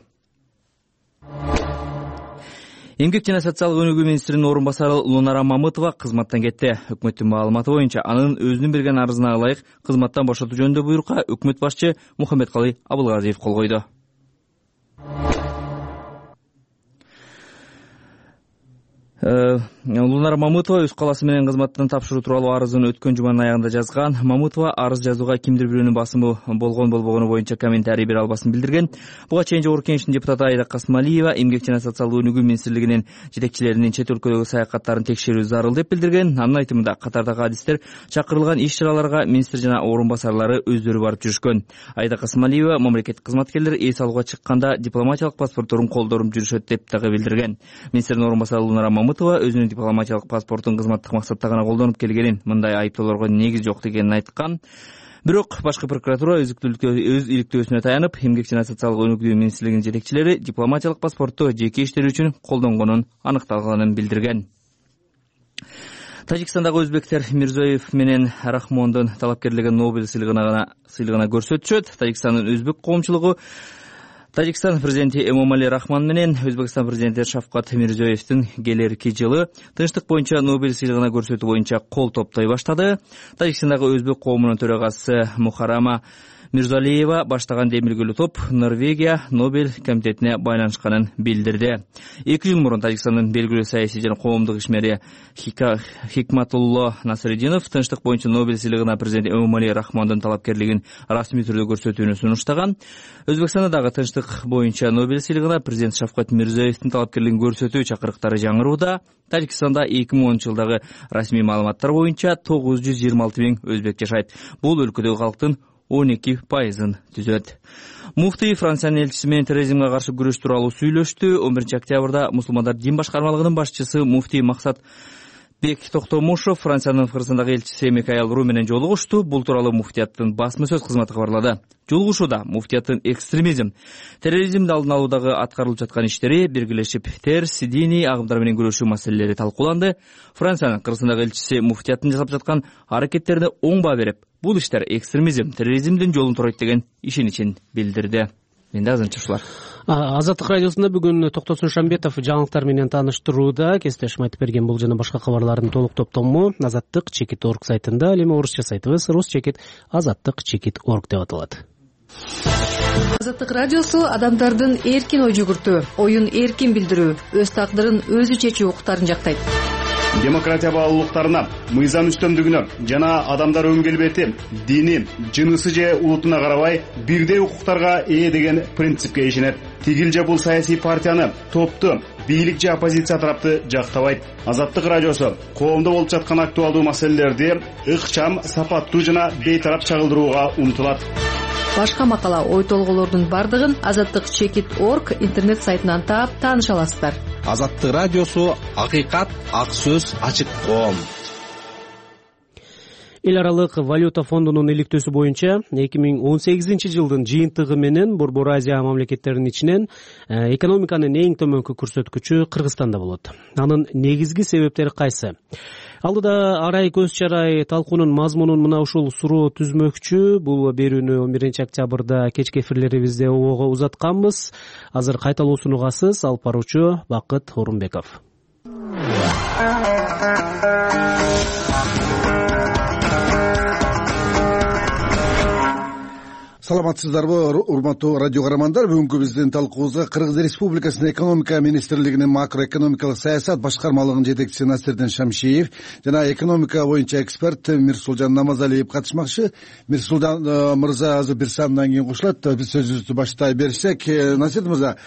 S3: Эмгек жана социалдык өнүгүү министринин орун басары Лунара Мамытова кызматтан кетти. Өкмөттүн маалыматы боюнча анын өзүнүн берген арызына ылайык кызматтан бошотуу жөнүндө буйрукка өкмөт башчы Мухаммедкалый Абылгазиев кол койду. Лунара Мамытова өз калаасы менен кызматтан тапшыруу тууралуу арызын өткөн жуманын аягында жазган. Мамытова арыз жазууга кимдир бирөөнүн басымы болгону боюнча комментарий бере албасын билдирген. Буга чейин Жогорку Кеңештин депутаты Айда Касмалиева эмгек жана социалдык өнүгүү министрлигинин жетекчилеринин чет өлкөдөгү саякаттарын текшерүү зарыл деп билдирген. Анын айтымында катардагы адистер чакырылган иш-чараларга министр жана орун басарлары өздөрү барып жүрүшкөн. Айда Касмалиева мамлекеттик кызматкерлер эс алууга чыкканда дипломатиялык паспортторун колдоруп жүрүшөт деп дагы билдирген. Министрдин орун басары Лунара Мамытова өзүнүн дипломатиялык паспортун кызматтык максатта гана колдонуп келгенин, мындай айыптоолорго негиз жок дегенин айткан. Бирок башкы прокуратура өз иликтөөсүнө таянып, эмгек жана социалдык өнүгүү министрлигинин жетекчилери дипломатиялык паспортту жеке иштери үчүн колдонгонун аныкталганын билдирген. Тажикстандагы өзбектер Мирзоев менен Рахмондун талапкерлиги Нобель сыйлыгына көрсөтүшөт. Тажикстандын өзбек коомчулугу Тажикстан президенти Эмомали Рахмон менен Өзбекстан президенти Шавкат Мирзиёевдин келерки жылы тынчтык боюнча Нобель сыйлыгына көрсөтүү боюнча кол топтой баштады. Тажикстандагы өзбек коомунун төрагасы Мухарама Мирзалиева баштаган демилгелүү топ Норвегия Нобель комитетине байланышканын билдирди. 2 жыл мурун Тажикстандын белгилүү саясий жана коомдук ишмери Хикматулло Насреддинов тынчтык боюнча Нобель сыйлыгына президент Эмомали Рахмондун талапкерлигин расмий түрдө көрсөтүүнү сунуштаган. Өзбекстанда дагы тынчтык боюнча Нобель сыйлыгына президент Шавкат Мирзиёевдин талапкерлигин көрсөтүү чакырыктары жаңырууда. Тажикстанда 2010 жылдагы расмий маалыматтар боюнча 926 миң өзбек жашайт. Бул өлкөдөгү калктын 12%-ын түзөт. Муфтий Франциянын элчиси менен терроризмге каршы күрөш тууралуу сүйлөштү. 11 октябрда мусулмандар дин башкармалыгынын башчысы муфтий Максат Бек Токтомушов Франциянын Кыргызстандагы элчиси Микаэл Ру менен жолугушту. Бул тууралуу муфтияттын басма сөз кызматы кабарлады. Жолугушууда муфтияттын экстремизм, терроризмди алдын алуудагы аткарылып жаткан иштери, биргелешип терс диний агымдар менен күрөшүү маселелери талкууланды. Франциянын Кыргызстандагы элчиси муфтияттын жасап жаткан аракеттерине оң баа берип, бул иштер экстремизм, терроризмдин жолун турайт деген ишеничин билдирди. Менде азырынча ушулар.
S1: Азаттык радиосунда бүгүн Токтосун Шамбетов жаңылыктар менен тааныштырууда. Кесиптешим айтып берген бул жана башка кабарлардын толук топтому Азаттык Чекит.org сайтында, ал эми орусча сайтыбыз ruschekit.azattik.org деп аталат.
S27: Азаттык радиосу адамдардын эркин ой жүгүртүү, оюн эркин билдирүү, өз тагдырын өзү чечүү укуктарын жактайт.
S26: Демократия баалуулуктарына, мыйзам үстөмдүгүнө жана адамдар өн келбети, дини, жынысы же улутуна карабай бирдей укуктарга ээ деген принципке ишенет. Тигил же бул саясий партияны, топту, бийлик же оппозиция тарапты жактабайт. Азаттык радиосу коомдо болуп жаткан актуалдуу маселелерди ыкчам, сапаттуу жана бейтарап чагылдырууга умтулат.
S27: Башка макала, ой толголордун бардыгын azattik.chekit.org интернет сайтынан таап тааныша аласыздар.
S5: Азаттык радиосу акыйкат, ак сөз, ачык коом.
S1: Эл аралык валюта фондунун иликтөөсү боюнча 2018 жылдын жыйынтыгы менен Борбор Азия мамлекеттеринин ичинен экономиканын эң төмөнкү көрсөткүчү Кыргызстанда болот. Анын негизги себептери кайсы? Алдыда арай көз чарай талкуунун мазмунун мына ушул суроо түзмөкчү. Бул берүүнү 11 октябрда кечки эфирлерибизде обого узатканбыз. Азыр кайталоосун угасыз. Алып баруучу Бакыт Орунбеков.
S4: Саламатсыздарбы, урматтуу радио каармандар. Бүгүнкү биздин талкуубузга Кыргыз Республикасынын экономика министрлигинин макроэкономикалык саясат башкармалыгынын жетекчиси Насирдин Шамшиев жана экономика боюнча эксперт Мирсулжан Намазалиев катышмакчы. Мирсулжан мырза азыр бир саамдан кийин кошулат. Биз сөзүбүздү баштай берсек, Насир мырза,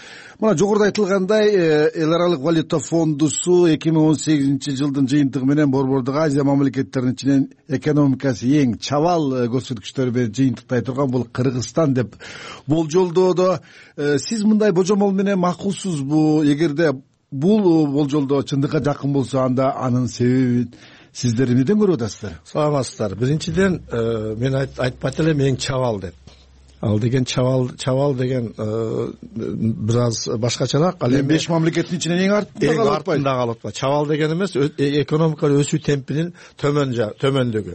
S4: мына жогоруда айтылгандай, эл аралык валюта фондусу 2018 жылдын жыйынтыгы менен Борбордук Азия мамлекеттеринин ичинен экономикасы эң чабал көрсөткүчтөр менен жыйынтыктай турган бул Кыргызстан деп болжолдоодо. Сиз мындай божомол менен макулсузбу? Эгерде бул болжолдоо чындыкка жакын болсо, анда анын себебин сиздер эмнеден көрүп атасыздар?
S2: Саламатсыздар. Биринчиден мен айтпайт элем эң чабал деп. Ал деген чабал деген бир аз башкачараак. Ал эми
S4: 5 мамлекеттин ичинен эң артында
S2: калып атпайбы? Чабал деген эмес, экономика өсүү темпинин төмөндүгү.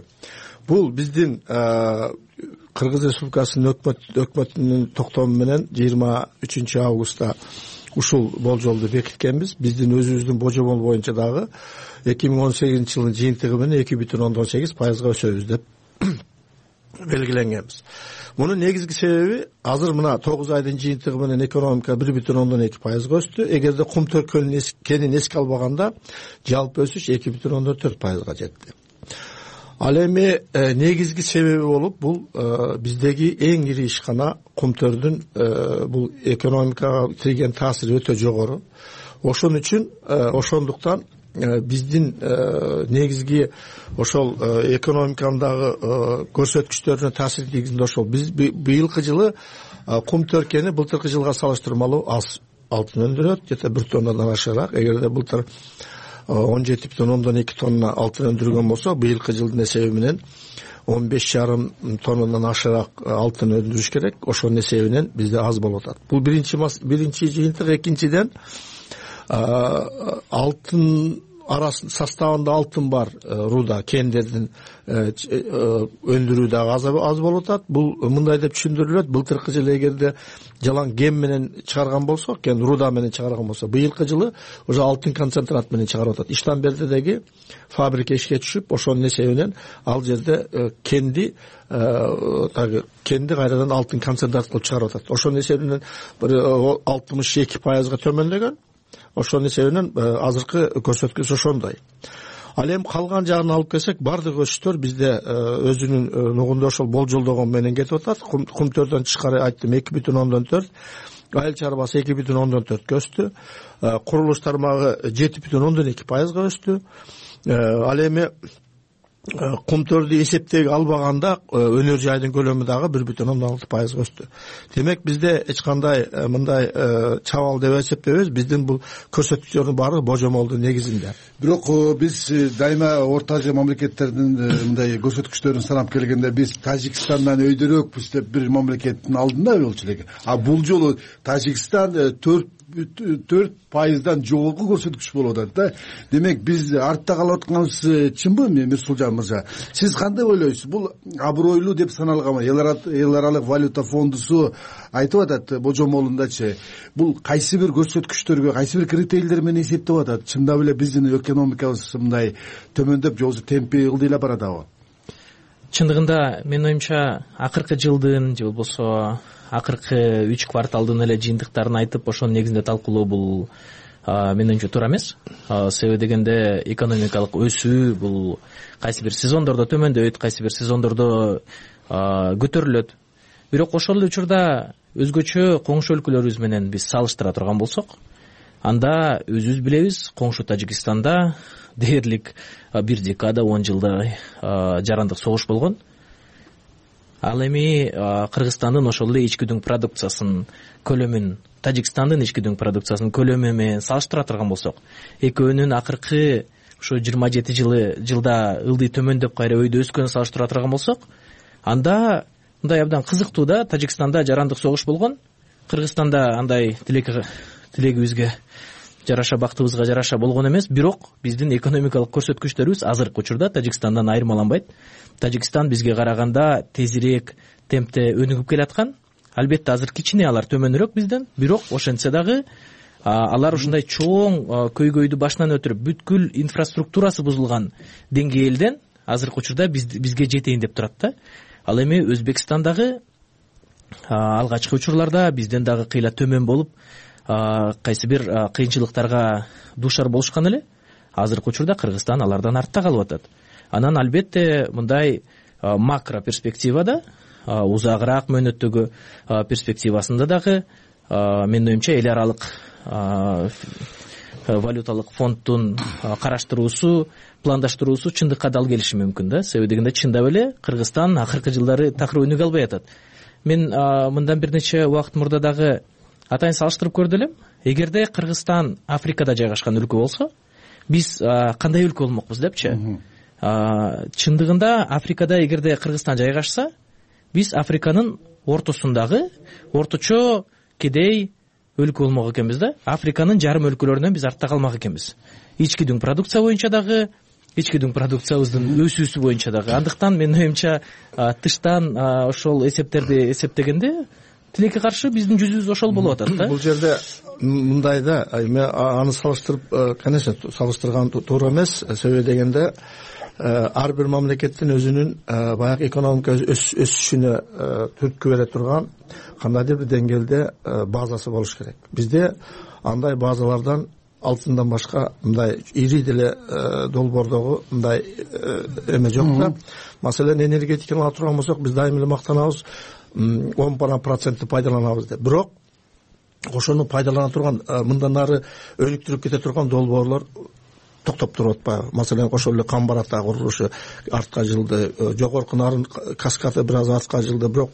S2: Бул биздин Кыргыз Республикасынын өкмөтүнүн токтому менен 23 августта ушул болжолду бекиткенбиз. Биздин өзүбүздүн божомол боюнча дагы 2018 жылдын жыйынтыгы менен 2,18% өсөбүз деп белгиленгенбиз. Мунун негизги себеби азыр мына 9 айдын жыйынтыгы менен экономика 1,2% өстү. Эгерде кум төркөнүн кенин эске албаганда жалпы өсүш 2,4% жетти. Ал эми негизги себеби болуп бул биздеги эң ири ишкана кумтөрдүн бул экономикага тийген таасири өтө жогору. Ошон үчүн ошондуктан биздин негизги ошол экономикадагы көрсөткүчтөрүнө таасир тийгизинде ошол. Биз быйылкы жылы кум төркени былтыркы жылга салыштырмалуу аз алтын өндүрөт, жета 1 тоннадан ашыраак. Эгерде былтыр 17,2 тонна алтын өндүргөн болсо, быйылкы жылдын эсеби менен 15,5 тоннадан ашыраак алтын өндүрүш керек. Ошонун эсебинен бизде аз болуп атат. Бул биринчи жыйынтык. Экинчиден, алтын составында алтын бар руда кендердин өндүрүү дагы аз болуп атат. Бул мындай деп түшүндүрүлөт. Былтыркы жылы эгерде жалаң ген менен чыгарган болсок, кен руда менен чыгарган болсо, быйылкы жылы уже алтын концентрат менен чыгарып атат. Иштанбердидеги фабрика ишке түшүп, ошонун эсебинен ал жерде кенди кайрадан алтын концентрат кылып чыгарып атат. Ошонун эсебинен 62%га төмөндөгөн. Ошонун эсебинен азыркы көрсөткүч ошондой. Ал эми калган жагын алып келсек, бардык өсүштөр бизде өзүнүн нугунда ошол болжолдогон менен кетип атат. Кумтөрдөн тышкары айттым 2,4, айыл чарбасы 2,4 өстү. Курулуш тармагы 7,2% өстү. Ал эми кумтөрдү эсептеге албаганда өнөр жайдын көлөмү дагы 1,6% өстү. Демек бизде эч кандай мындай чабал деп эсептебейбиз. Биздин бул көрсөткүчтөрдүн баары божомолдун негизинде.
S4: Бирок биз дайыма Орто Азия мамлекеттеринин мындай көрсөткүчтөрүн санап келгенде биз Тажикстандан өйдөрөөкпүз деп бир мамлекеттин алдында болчу элек. А бул жолу Тажикстан 4%дан жогорку көрсөткүч болуп атат да. Демек биз артта калып атканыбыз чынбы, Мирсулжан мырза? Сиз кандай ойлойсуз? Бул абройлуу деп саналганбы? Эл аралык валюта фондусу айтып атат божомолундачы. Бул кайсы бир көрсөткүчтөргө, кайсы бир критерийлер менен эсептеп атат? Чындап эле биздин экономикабыз мындай төмөндөп, же темпи ылдыйлап баратабы?
S5: Чындыгында менин оюмча акыркы жылдын же болбосо акыркы 3 кварталдын эле жыйынтыктарын айтып, ошонун негизинде талкуулоо бул менин оюмча туура эмес. Себеби дегенде экономикалык өсүү бул кайсы бир сезондордо төмөндөйт, кайсы бир сезондордо көтөрүлөт. Бирок ошол эле учурда өзгөчө коңшу өлкөлөрүбүз менен биз салыштыра турган болсок, анда өзүбүз билебиз, коңшу Тажикстанда дээрлик 1 декада 10 жылдай жарандык согуш болгон. Ал эми Кыргызстандын ошол эле ички дүң продукциясынын көлөмүн Тажикстандын ички дүң продукциясынын көлөмү менен салыштыра турган болсок, экөөнүн акыркы ушу 27 жылда ылдый төмөндөп кайра өйдө өскөнүн салыштыра турган болсок, анда мындай абдан кызыктуу да. Тажикстанда жарандык согуш болгон. Кыргызстанда андай тилегибизге жараша, бактыбызга жараша болгон эмес. Бирок биздин экономикалык көрсөткүчтөрүбүз азыркы учурда Тажикстандан айырмаланбайт. Тажикстан бизге караганда тезирээк темпте өнүгүп келаткан. Албетте азыр кичине алар төмөнүрөөк бизден, бирок ошентсе дагы алар ушундай чоң көйгөйдү башынан өтүрүп, бүткүл инфраструктурасы бузулган деңгээлден азыркы учурда бизге жетейин деп турат да. Ал эми Өзбекстандагы алгачкы учурларда бизден дагы кыйла төмөн болуп, кайсы бир кыйынчылыктарга дуушар болушкан эле. Азыркы учурда Кыргызстан алардан артта калып атат. Анан албетте мындай макро перспективада, узагыраак мөөнөттөгү перспективасында дагы менин оюмча эл аралык валюталык фонддун караштыруусу, пландаштыруусу чындыкка дал келиши мүмкүн да. Себеби дегенде чындап эле Кыргызстан акыркы жылдары такыр өнүгө албай атат. Мен мындан бир нече убакыт мурда дагы атайын салыштырып көрдү элем. Эгерде Кыргызстан Африкада жайгашкан өлкө болсо, биз кандай өлкө болмокпуз депчи. Чындыгында Африкада эгерде Кыргызстан жайгашса, биз Африканын ортосундагы орточо кедей өлкө болмок экенбиз да. Африканын жарым өлкөлөрүнөн биз артта калмак экенбиз. Ички дүң продукция боюнча дагы, ички дүң продукциябыздын өсүүсү боюнча дагы. Андыктан менин оюмча тыштан ошол эсептерди эсептегенде тилекке каршы биздин жүзүбүз ошол болуп атат да.
S2: Бул жерде мындай да, мен аны салыштырып, конечно, салыштырган туура эмес. Себеби дегенде ар бир мамлекеттин өзүнүн баягы экономика өсүшүнө түрткү бере турган кандайдыр бир деңгээлде базасы болуш керек. Бизде андай базалардан алтындан башка мындай ири деле долбоордогу мындай эме жок да. Маселен, энергетиканы алып турган болсок, биз дайым эле мактанабыз, 10% пайдаланабыз деп. Бирок ошону пайдалана турган, мындан ары өнүктүрүп кете турган долбоорлор токтоп туруп атпайбы? Маселен, ошол эле Камбарата курулушу артка жылды, жогорку нарын каскаты бир аз артка жылды, бирок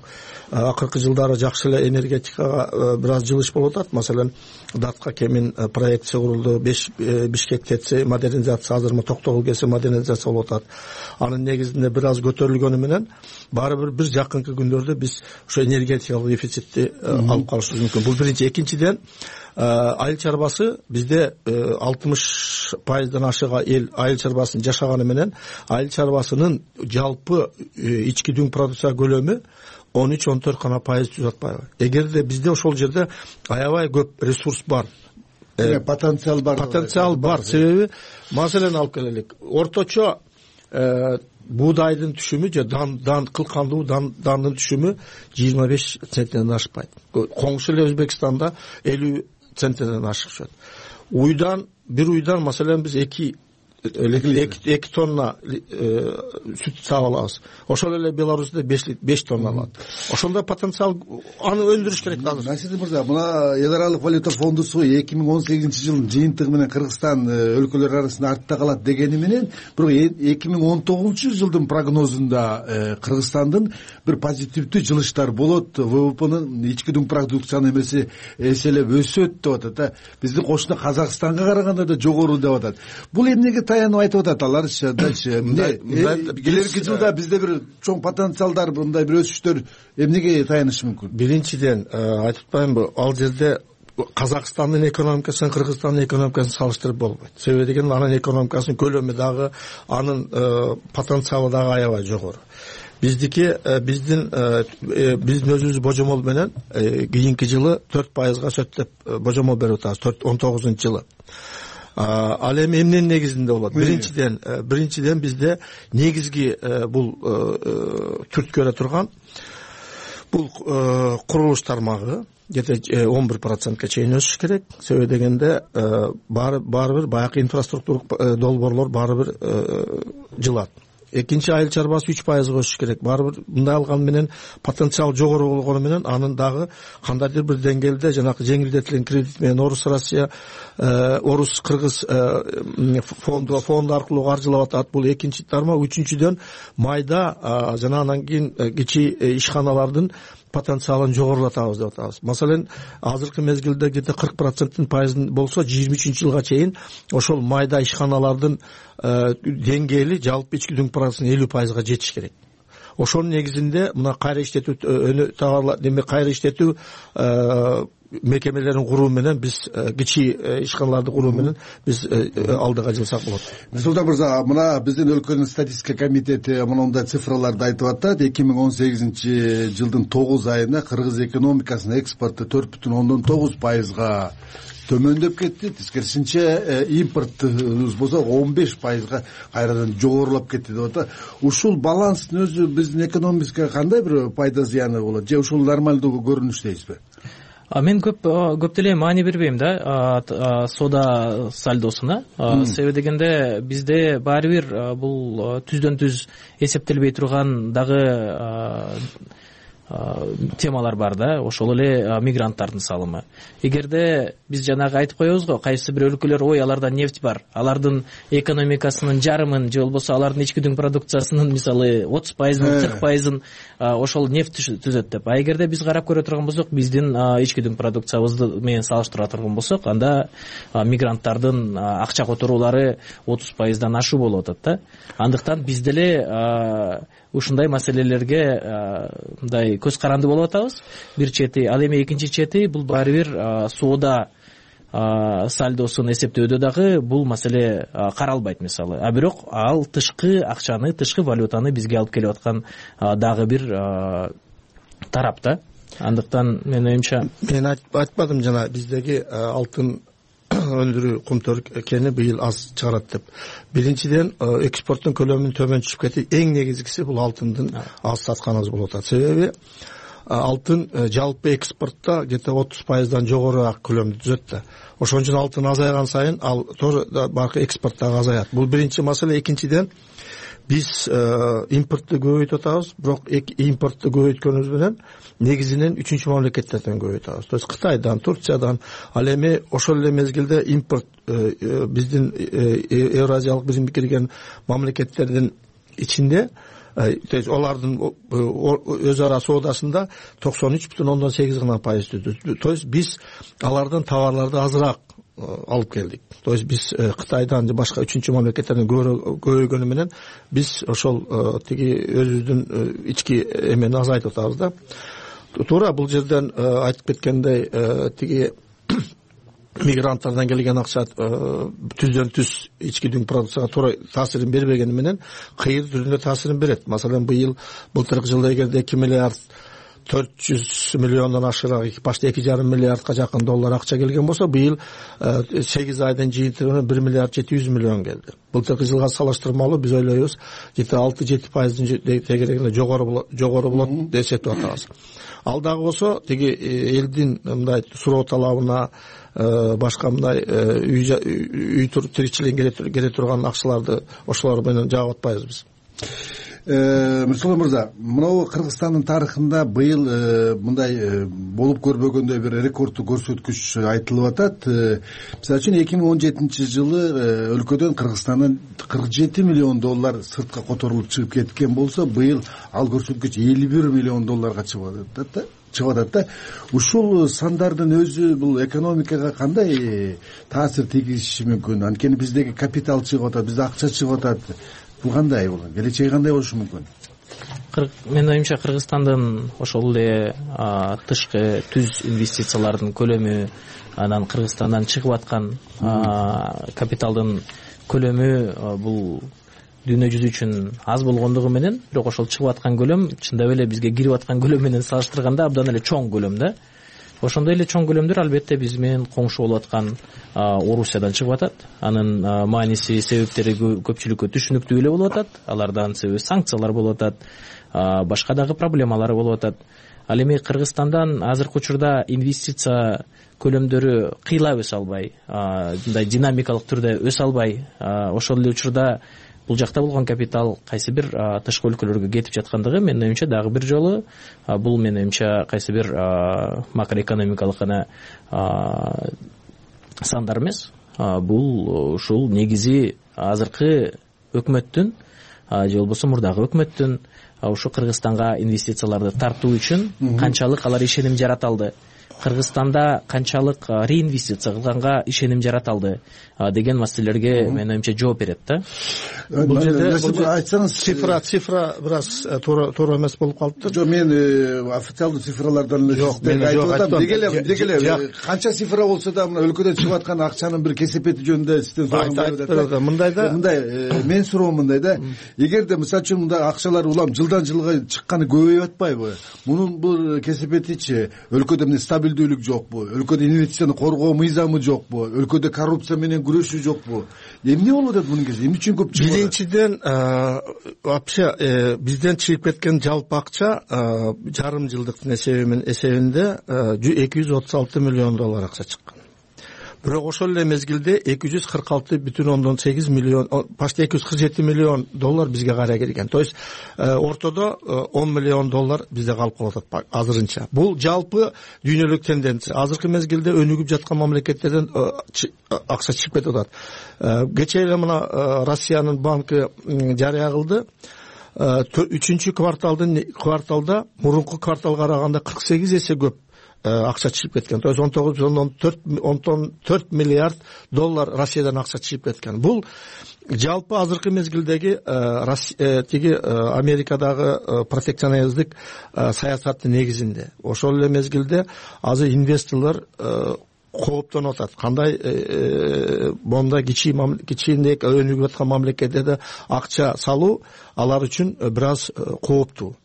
S2: акыркы жылдары жакшы эле энергетикага бир аз жылыш болуп атат. Маселен, Датка Кемин проекти курулду, Бишкек ТЭЦ модернизация, азыр Токтогул КЭС модернизация болуп атат. Анын негизинде бир аз көтөрүлгөнү менен баары бир жакынкы күндөрдө биз ошо энергетикалык дефицитти алып калышыбыз мүмкүн. Бул биринчи. Экинчиден, айыл чарбасы бизде 60%дан ашыга эл айыл чарбасын жашаганы менен айыл чарбасынын жалпы ички дүң продукция көлөмү 13-14 гана пайыз түзүп атпайбы? Эгерде бизде ошол жерде аябай көп ресурс бар,
S4: потенциал
S2: бар. Себеби, маселен алып келелик, орточо буудайдын түшүмү же кылкандуу дандын түшүмү 25 центтен ашпайт. Коңшу эле Өзбекстанда 50 центтен ашып чыгат. Bir uydan masalan biz 2 tonna süt sağ alabız. Ошол эле Беларусьта 5 тонна алат. Ошондой потенциал, аны өндүрүш керек азыр.
S4: Насир мырза, мына эл аралык валюта фондусу 2018-жылдын жыйынтыгы менен Кыргызстан өлкөлөр арасында артта калат дегени менен, бирок 2019-жылдын прогнозунда Кыргызстандын бир позитивдүү жылыштар болот, ВВПнын ички дүң продукциянын эмеси эселеп өсөт деп атат. Биздин кошуна Казакстанга караганда да жогору деп атат. Бул эмнеге таянып айтып атат аларчы? Келерки жылда бизде бир чоң потенциалдар, мындай бир өсүштөр эмнеге таянышы мүмкүн?
S2: Биринчиден, айтып атпаймынбы, ал жерде Казакстандын экономикасын, Кыргызстандын экономикасын салыштырып болбойт. Себеби деген анын экономикасынын көлөмү дагы, анын потенциалы дагы аябай жогору. Биздин өзүбүз божомол менен кийинки жылы 4%га өсөт деп божомол берип атабыз, 19-жылы. Ал эми эмненин негизинде болот? Биринчиден бизде негизги бул түрткү бере турган бул курулуш тармагы где-то 11%га чейин өсүш керек. Себеби дегенде баары бир баягы инфраструктура долбоорлор баары бир жылат. Экинчи, айыл чарбасы 3%га өсүш керек. Баары бир мындай алган менен потенциал жогору болгону менен анын дагы кандайдыр бир деңгээлде жанагы жеңилдетилген кредит менен Орус-Кыргыз фонду аркылуу каржылап атат. Бул экинчи тармак. Үчүнчүдөн, майда жана анан кийин кичи ишканалардын потенциалын жогорулатабыз деп атабыз. Маселен, азыркы мезгилде где-то 40% пайызын болсо 23 жылга чейин ошол майда ишканалардын деңгээли жалпы ички дүң продуктусунун 50%га жетиш керек. Ошонун негизинде мына кайра иштетүү товарлар, демек кайра иштетүү мекемелерин куруу менен биз кичи ишканаларды куруу менен биз алдыга жылсак болот.
S4: Нурсултан мырза, мына биздин өлкөнүн статистика комитети мындай цифраларды айтып атат. 2018 жылдын 9 айында кыргыз экономикасынын экспорту 4,9%га төмөндөп кетти. Тескерисинче импортубуз болсо 15%га кайрадан жогорулап кетти деп атат. Ушул баланстын өзү биздин экономикага кандай бир пайда зыяны болот? Же ушул нормалдуу көрүнүш дейсизби?
S5: Мен көп деле маани бербейм да соода сальдосуна. Себеби дегенде бизде баары бир бул түздөн түз эсептелбей турган дагы темалар бар да, ошол эле мигранттардын салымы. Эгерде биз жанагы айтып коебуз го, кайсы бир өлкөлөр ой аларда нефть бар, алардын экономикасынын жарымын же болбосо алардын ички дүң продукциясынын мисалы 30%, 40%-ын ошол нефть түзөт деп. Эгерде биз карап көрө турган болсок, биздин ички дүң продукциябызды менен салыштыра турган болсок, анда мигранттардын акча которуулары 30%дан ашуу болуп атат да. Андыктан биз деле ушундай маселелерге мындай көз каранды болуп атабыз. Бир чети, ал эми экинчи чети бул баары бир соода сальдосун эсептөөдө дагы бул маселе каралбайт мисалы. Бирок ал тышкы акчаны, тышкы валютаны бизге алып келип аткан дагы бир тарап да. Андыктан менин оюмча,
S2: мен айтпадым жана биздеги алтын өндүрүү кумтөр кени быйыл аз чыгарат деп. Биринчиден экспорттун көлөмүнүн төмөн түшүп кетти. Эң негизгиси бул алтындын аз сатканыбыз болуп атат. Себеби алтын жалпы экспортто где-то 30%дан жогорураак көлөмдү түзөт да. Ошон үчүн алтын азайган сайын ал тоже баркы экспорт дагы азаят. Бул биринчи маселе. Экинчиден биз импортту көбөйтүп атабыз, бирок импортту көбөйткөнүбүз менен негизинен үчүнчү мамлекеттерден көбөйтүп атабыз. То есть Кытайдан, Турциядан. Ал эми ошол эле мезгилде импорт биздин Евразиялык биримге кирген мамлекеттердин ичинде, то есть олардын өз ара соодасында 93,8 гана пайыз түздү. То есть биз алардан товарларды азыраак алып келдик. То есть биз Кытайдан же башка үчүнчү мамлекеттерден көбөйгөнү менен биз ошол тиги өзүбүздүн ички эмени азайтып атабыз да. Туура бул жерден айтып кеткендей тиги мигранттардан келген акча түздөн түз ички дүң продукцияга туура таасирин бербегени менен кыйыр түрүндө таасирин берет. Маселен былтыркы жылда эгерде 2 миллиард 400 миллиондон ашыраак, башта 2,5 миллиардка жакын доллар акча келген болсо, быйыл 8 айдын жыйынтыгы менен 1 миллиард 700 миллион келди. Былтыркы жылга салыштырмалуу биз ойлойбуз, 6-7% тегерегинде жогору болот деп эсептеп атабыз. Ал дагы болсо тиги элдин мындай суроо талабына башка мындай үй тиричилигине келе турган акчаларды ошолор менен жаап атпайбыз биз.
S4: Нурсултан мырза, мынау Кыргызстандын тарыхында быйыл мындай болуп көрбөгөндөй бир рекордтуу көрсөткүч айтылып атат. Мисалы үчүн 2017 жылы өлкөдөн Кыргызстандан 47 миллион доллар сыртка которулуп чыгып кеткен болсо, быйыл ал көрсөткүч 51 миллион долларга чыгып атат да. Ушул сандардын өзү бул экономикага кандай таасир тийгизиши мүмкүн? Анткени биздеги капитал чыгып атат, бизде акча чыгып атат. Бул кандай болот? Келечеги кандай болушу мүмкүн?
S5: Менин оюмча Кыргызстандын ошол эле тышкы түз инвестициялардын көлөмү, анан Кыргызстандан чыгып аткан капиталдын көлөмү бул дүйнө жүзү үчүн аз болгондугу менен, бирок ошол чыгып аткан көлөм чындап эле бизге кирип аткан көлөм менен салыштырганда абдан эле чоң көлөм да. Ошондой эле чоң көлөмдөр албетте биз менен коңшу болуп аткан Орусиядан чыгып атат. Анын мааниси, себептери көпчүлүккө түшүнүктүү эле болуп атат. Алардан себеби санкциялар болуп атат, башка дагы проблемалары болуп атат. Ал эми Кыргызстандан азыркы учурда инвестиция көлөмдөрү кыйла өсө албай, мындай динамикалык түрдө өсө албай, ошол эле учурда бул жакта болгон капитал кайсы бир тышкы өлкөлөргө кетип жаткандыгы менин оюмча дагы бир жолу бул менин оюмча кайсы бир макроэкономикалык гана сандар эмес, бул ушул негизи азыркы өкмөттүн же болбосо мурдагы өкмөттүн ушу Кыргызстанга инвестицияларды тартуу үчүн канчалык алар ишеним жарата алды, Кыргызстанда канчалык реинвестиция кылганга ишеним жарата алды деген маселелерге менин оюмча жооп берет да.
S2: Бул жерде айтсаңыз цифра бир аз туура эмес болуп калыптыр.
S4: Жок, мен официалдуу цифралардан айтып атам. Деги эле канча цифра болсо да мына өлкөдөн чыгып аткан акчанын бир кесепети жөнүндө сизден сураган мындай мен суроом мындай да, эгерде мисалы үчүн мындай акчалар улам жылдан жылга чыкканы көбөйүп атпайбы, мунун бул кесепетичи өлкөдө эмне стабилдүүлүк жокпу, өлкөдө инвестицияны коргоо мыйзамы жокпу, өлкөдө коррупция менен күрөшүү жокпу, эмне болуп атат мунун кесиби, эмне үчүн көп чыгып?
S2: Биринчиден вообще бизден чыгып кеткен жалпы акча жарым жылдыктын эсебинде 236 миллион доллар акча чыккан. Бирок ошол эле мезгилде 246,8 миллион, почти 247 миллион доллар бизге кайра келген. То есть ортодо 10 миллион доллар бизде калып калып атат азырынча. Бул жалпы дүйнөлүк тенденция. Азыркы мезгилде өнүгүп жаткан мамлекеттерден акча чыгып кетип атат. Кечээ эле мына Россиянын банкы жарыя кылды. 3-чү кварталда мурунку кварталга караганда 48 эсе көп акча чыгып кеткен. То есть 19,4 миллиард доллар Россиядан акча чыгып кеткен. Бул жалпы азыркы мезгилдеги тиги Америкадагы протекциониздик саясаттын негизинде. Ошол эле мезгилде азыр инвесторлор кооптонуп атат. Кандай монда кичинек өнүгүп аткан мамлекеттерде акча салуу алар үчүн бир аз кооптуу.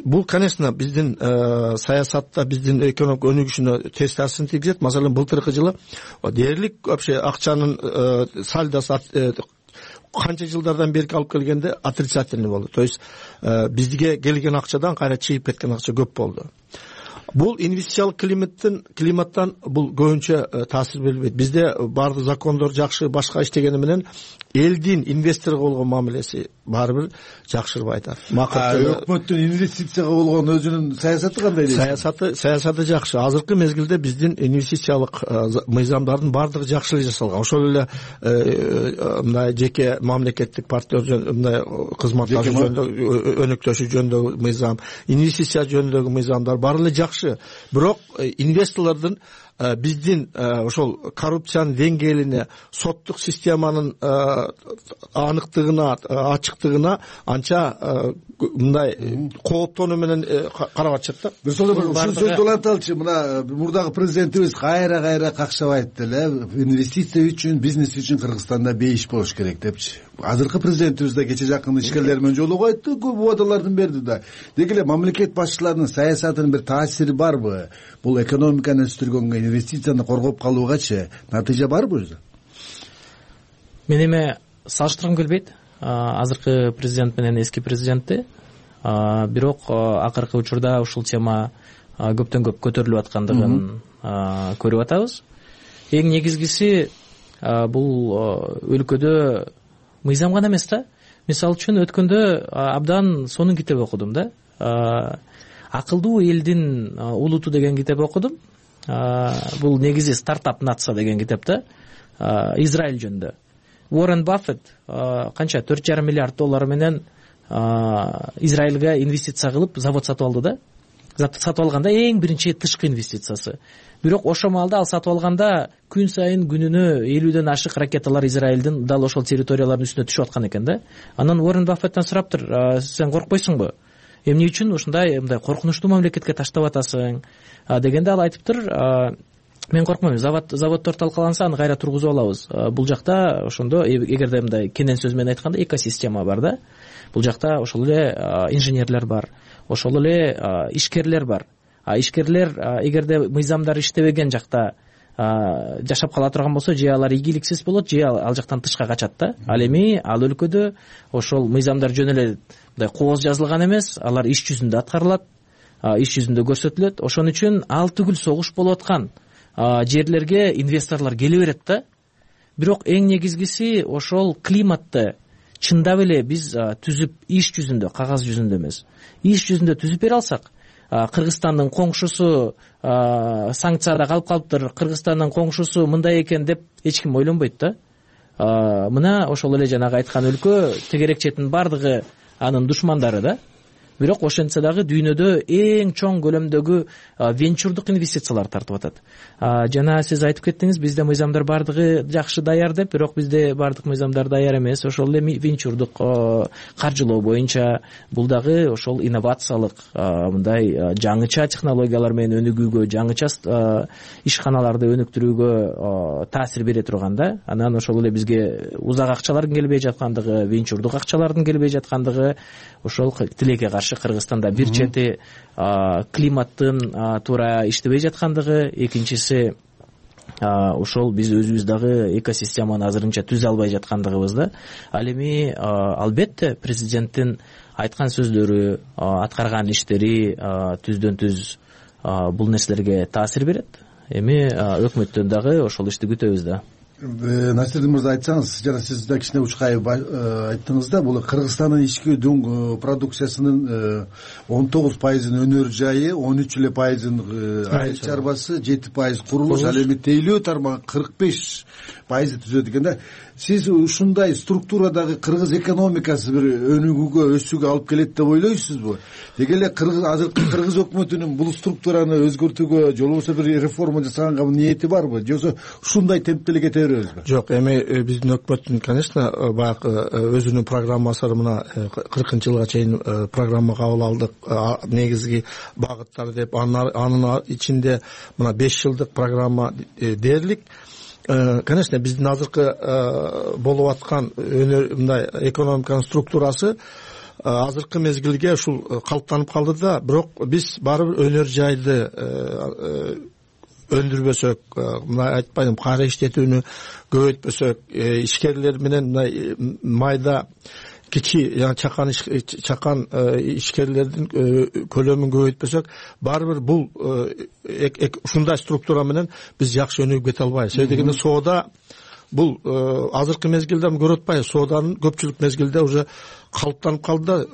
S2: Бул, конечно, биздин саясатта биздин экономик өнүгүшүнө терс таасирин тийгизет. Маселен, былтыркы жылы дээрлик вообще акчанын сальдосу канча жылдардан бери алып келгенде отрицательный болду. То есть бизге келген акчадан кайра чыгып кеткен акча көп болду. Бул инвестициялык климаттан бул көбүнчө таасир бербейт. Бизде баардык закондор жакшы, башка иштегени менен элдин инвесторго болгон мамилеси баары бир жакшырбайт.
S4: Өкмөттүн инвестицияга болгон өзүнүн саясаты кандай дейсиз?
S2: Саясаты жакшы. Азыркы мезгилде биздин инвестициялык мыйзамдардын баардыгы жакшы жасалган. Ошол эле мындай жеке мамлекеттик партнер мындай кызматташы жөнүндө өнүктүшү жөнүндөгү мыйзам, инвестиция жөнүндөгү мыйзамдар баары эле жакшы. Бирок инвесторлордун биздин ошол коррупциянын деңгээлине, соттук системанын аныктыгына, ачыктыгына анча мындай кооптонуу менен карап атышат да.
S4: Ушул сөздү уланталычы, мына мурдагы президентибиз кайра какшап эле, инвестиция үчүн, бизнес үчүн Кыргызстанда бейиш болуш керек депчи. Азыркы президентибиз да кече жакын ишкерлер менен жолугуп айтты, көп убадаларды берди да. Деги эле мамлекет башчыларынын саясатынын бир таасири барбы? Бул экономиканы өстүргөнгө, инвестицияны коргоп калуугачы натыйжа барбы өзү?
S5: Мен эме салыштыргым келбейт азыркы президент менен эски президентти. Бирок акыркы учурда ушул тема көптөн көп көтөрүлүп аткандыгын көрүп атабыз. Эң негизгиси бул өлкөдө мыйзам гана эмес да. Мисалы үчүн өткөндө абдан сонун китеп окудум да. Акылдуу элдин улуту деген китеп окудум. Бул негизи стартап нация деген китеп да. Израиль жөнүндө. Уоррен Баффет канча 4,5 миллиард доллар менен Израилга инвестиция кылып завод сатып алды да. Сатып алганда эң биринчи тышкы инвестициясы. Бирок ошол маалда ал сатып алганда күн сайын күнүнө 50ден ашык ракеталар Израилдин дал ошол территориялардын үстүнө түшүп аткан экен да. Анан Уоррен Баффеттен сураптыр, сен коркпойсуңбу? Эмне үчүн ушундай мындай коркунучтуу мамлекетке таштап атасың? Дегенде ал айтыптыр, мен коркпойм, заводдор талкаланса аны кайра тургузуп алабыз. Бул жакта ошондо эгерде мындай кенен сөз менен айтканда экосистема бар да. Бул жакта ошол эле инженерлер бар, ошол эле ишкерлер бар. Ишкерлер эгерде мыйзамдар иштебеген жакта жашап кала турган болсо, же алар ийгиликсиз болот, же ал жактан тышка качат да. Ал эми ал өлкөдө ошол мыйзамдар жөн эле мындай кооз жазылган эмес, алар иш жүзүндө аткарылат, иш жүзүндө көрсөтүлөт. Ошон үчүн ал түгүл согуш болуп аткан жерлерге инвесторлор келе берет да. Бирок эң негизгиси ошол климатты чындап эле биз түзүп, иш жүзүндө, кагаз жүзүндө эмес, иш жүзүндө түзүп бере алсак, Кыргызстандын коңшусу санкцияда калып калыптыр, Кыргызстандын коңшусу мындай экен деп эч ким ойлонбойт да. мына ошол эле жанагы айткан өлкө тегерек четинин баардыгы анын душмандары да, бирок ошентсе дагы дүйнөдө эң чоң көлөмдөгү венчурдук инвестициялар тартып атат. Жана сиз айтып кеттиңиз, бизде мыйзамдар баардыгы жакшы даяр деп, бирок бизде баардык мыйзамдар даяр эмес. Ошол эле венчурдук каржылоо боюнча бул дагы ошол инновациялык мындай жаңыча технологиялар менен өнүгүүгө, жаңыча ишканаларды өнүктүрүүгө таасир бере турган да. Анан ошол эле бизге узак акчалардын келбей жаткандыгы, венчурдук акчалардын келбей жаткандыгы, ошол тилекке каршы Кыргызстанда бир чети климаттын туура иштебей жаткандыгы, экинчиси ошол биз өзүбүз дагы экосистеманы азырынча түзө албай жаткандыгыбыз да. Ал эми албетте президенттин айткан сөздөрү, аткарган иштери түздөн түз бул нерселерге таасир берет. Эми өкмөттөн дагы ошол ишти күтөбүз да.
S4: Насирдин мырза, айтсаңыз, жана сиз да кичине учкай айттыңыз да, бул Кыргызстандын ички дүң продукциясынын 19% өнөр жайы, 13% айыл чарбасы, 7% курулуш, ал эми тейлөө тармагы 45% түзөт экен да. Сиз ушундай структурадагы кыргыз экономикасы бир өнүгүүгө, өсүүгө алып келет деп ойлойсузбу? Деги эле азыркы кыргыз өкмөтүнүн бул структураны өзгөртүүгө, же болбосо бир реформа жасаганга ниети барбы, же болбосо ушундай темпте эле кете беребизби?
S2: Жок, эми биздин өкмөттүн, конечно, баягы өзүнүн программасы мына 40-жылга чейин программа кабыл алдык, негизги багыттар деп, анын ичинде мына 5 жылдык программа дээрлик. Конечно, биздин азыркы болуп аткан мындай экономиканын структурасы азыркы мезгилге ушул калыптанып калды да, бирок биз барыбыр өнөр жайды өндүрбөсөк, мына айтпайм, кайра иштетүүнү көбөйтпөсөк, ишкерлер менен мындай майда кичи чакан ишкерлердин көлөмүн көбөйтпөсөк, барыбыр бул ушундай структура менен биз жакшы өнүгүп кете албайбыз. Себеби дегенде соода бул азыркы мезгилде көрүп атпайбыз, сооданын көпчүлүк мезгилде уже калыптанып калды.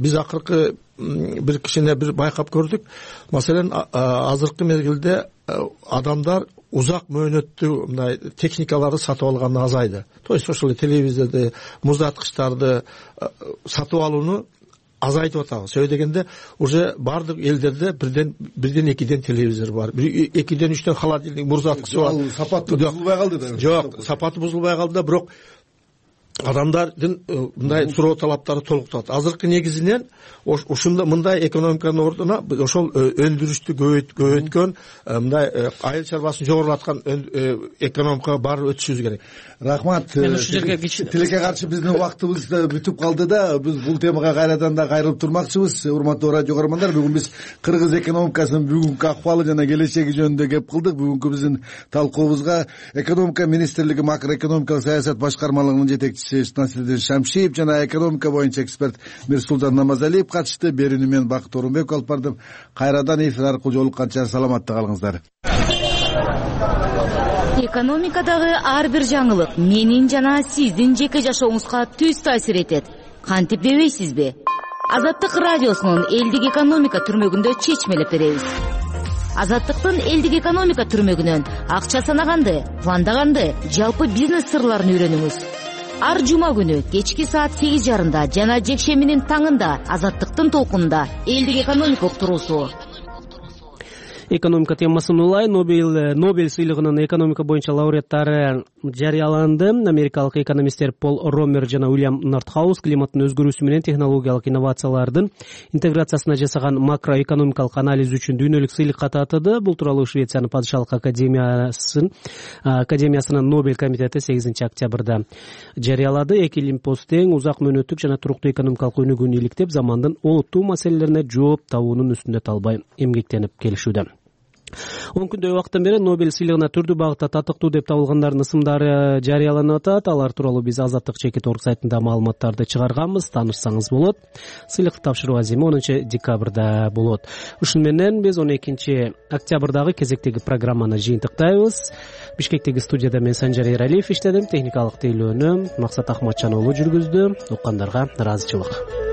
S2: Биз акыркы бир кичине бир байкап көрдүк. Маселен, азыркы мезгилде адамдар узак мөөнөттүү мындай техникаларды сатып алганы азайды. То есть ошол телевизорду, муздаткычтарды сатып алууну азайтып атабыз. Себеби дегенде уже бардык элдерде бирден экиден телевизор бар, экиден үчтөн холодильник, муздаткыч бар.
S4: Сапаты бузулбай калды да?
S2: Жок, сапаты бузулбай калды, бирок адамдардын мындай суроо талаптары толуктат. Азыркы негизинен ушундай мындай экономиканын ордуна ошол өндүрүштү көбөйткөн, мындай айыл чарбасын жогорулаткан экономикага баары өтүшүбүз керек.
S4: Рахмат. Тилекке каршы биздин убактыбыз бүтүп калды да, биз бул темага кайрадан да кайрылып турмакчыбыз. Урматтуу радио көрөрмандар, бүгүн биз кыргыз экономикасынын бүгүнкү акыбалы жана келечеги жөнүндө кеп кылдык. Бүгүнкү биздин талкуубузга экономика министрлиги макроэкономикалык саясат башкармалыгынын жетекчиси Насирдин Шамшиев жана экономика боюнча эксперт Мирсултан Намазалиев катышты. Берүүнү мен Бакыт Орунбеков алып бардым. Кайрадан эфир аркылуу жолукканча саламатта калыңыздар.
S6: Экономикадагы ар бир жаңылык менин жана сиздин жеке жашооңузга түз таасир этет. Кантип дебейсизби? Азаттык радиосунун элдик экономика түрмөгүндө чечмелеп беребиз. Азаттыктын элдик экономика түрмөгүнөн акча санаганды, пландаганды, жалпы бизнес сырларын үйрөнүңүз. Ар жума күнү кечки саат 8:30 жана жекшембинин таңында Азаттыктын толкунунда элдик экономика уктуруусу.
S1: Экономика темасын улай Нобель сыйлыгынын экономика боюнча лауреаттары жарыяланды. Америкалык экономисттер Пол Ромер жана Уильям Нортхаус климаттын өзгөрүүсү менен технологиялык инновациялардын интеграциясына жасаган макроэкономикалык анализ үчүн дүйнөлүк сыйлыкка татыды. Бул тууралуу Швециянын падышалык академиясынын Нобель комитети 8 октябрда жарыялады. Эки лимпоз тең, узак мөөнөттүк жана туруктуу экономикалык өнүгүүнү иликтеп, замандын олуттуу маселелерине жооп табуунун үстүндө талбай эмгектенип келишүүдө. 10 күндөй убакыттан бери Нобель сыйлыгына түрдүү багытта татыктуу деп табылгандардын ысымдары жарыяланып атат. Алар тууралуу биз Азаттык /org сайтында маалыматтарды чыгарганбыз, таанышсаңыз болот. Сыйлыкты тапшыруу аземи 10 декабрда болот. Ушун менен биз 12 октябрдагы кезектеги программаны жыйынтыктайбыз. Бишкектеги студияда мен Санжар Эралиев иштедим, техникалык тейлөөнү Максат Ахматжан уулу жүргүздү. Уккандарга ыраазычылык.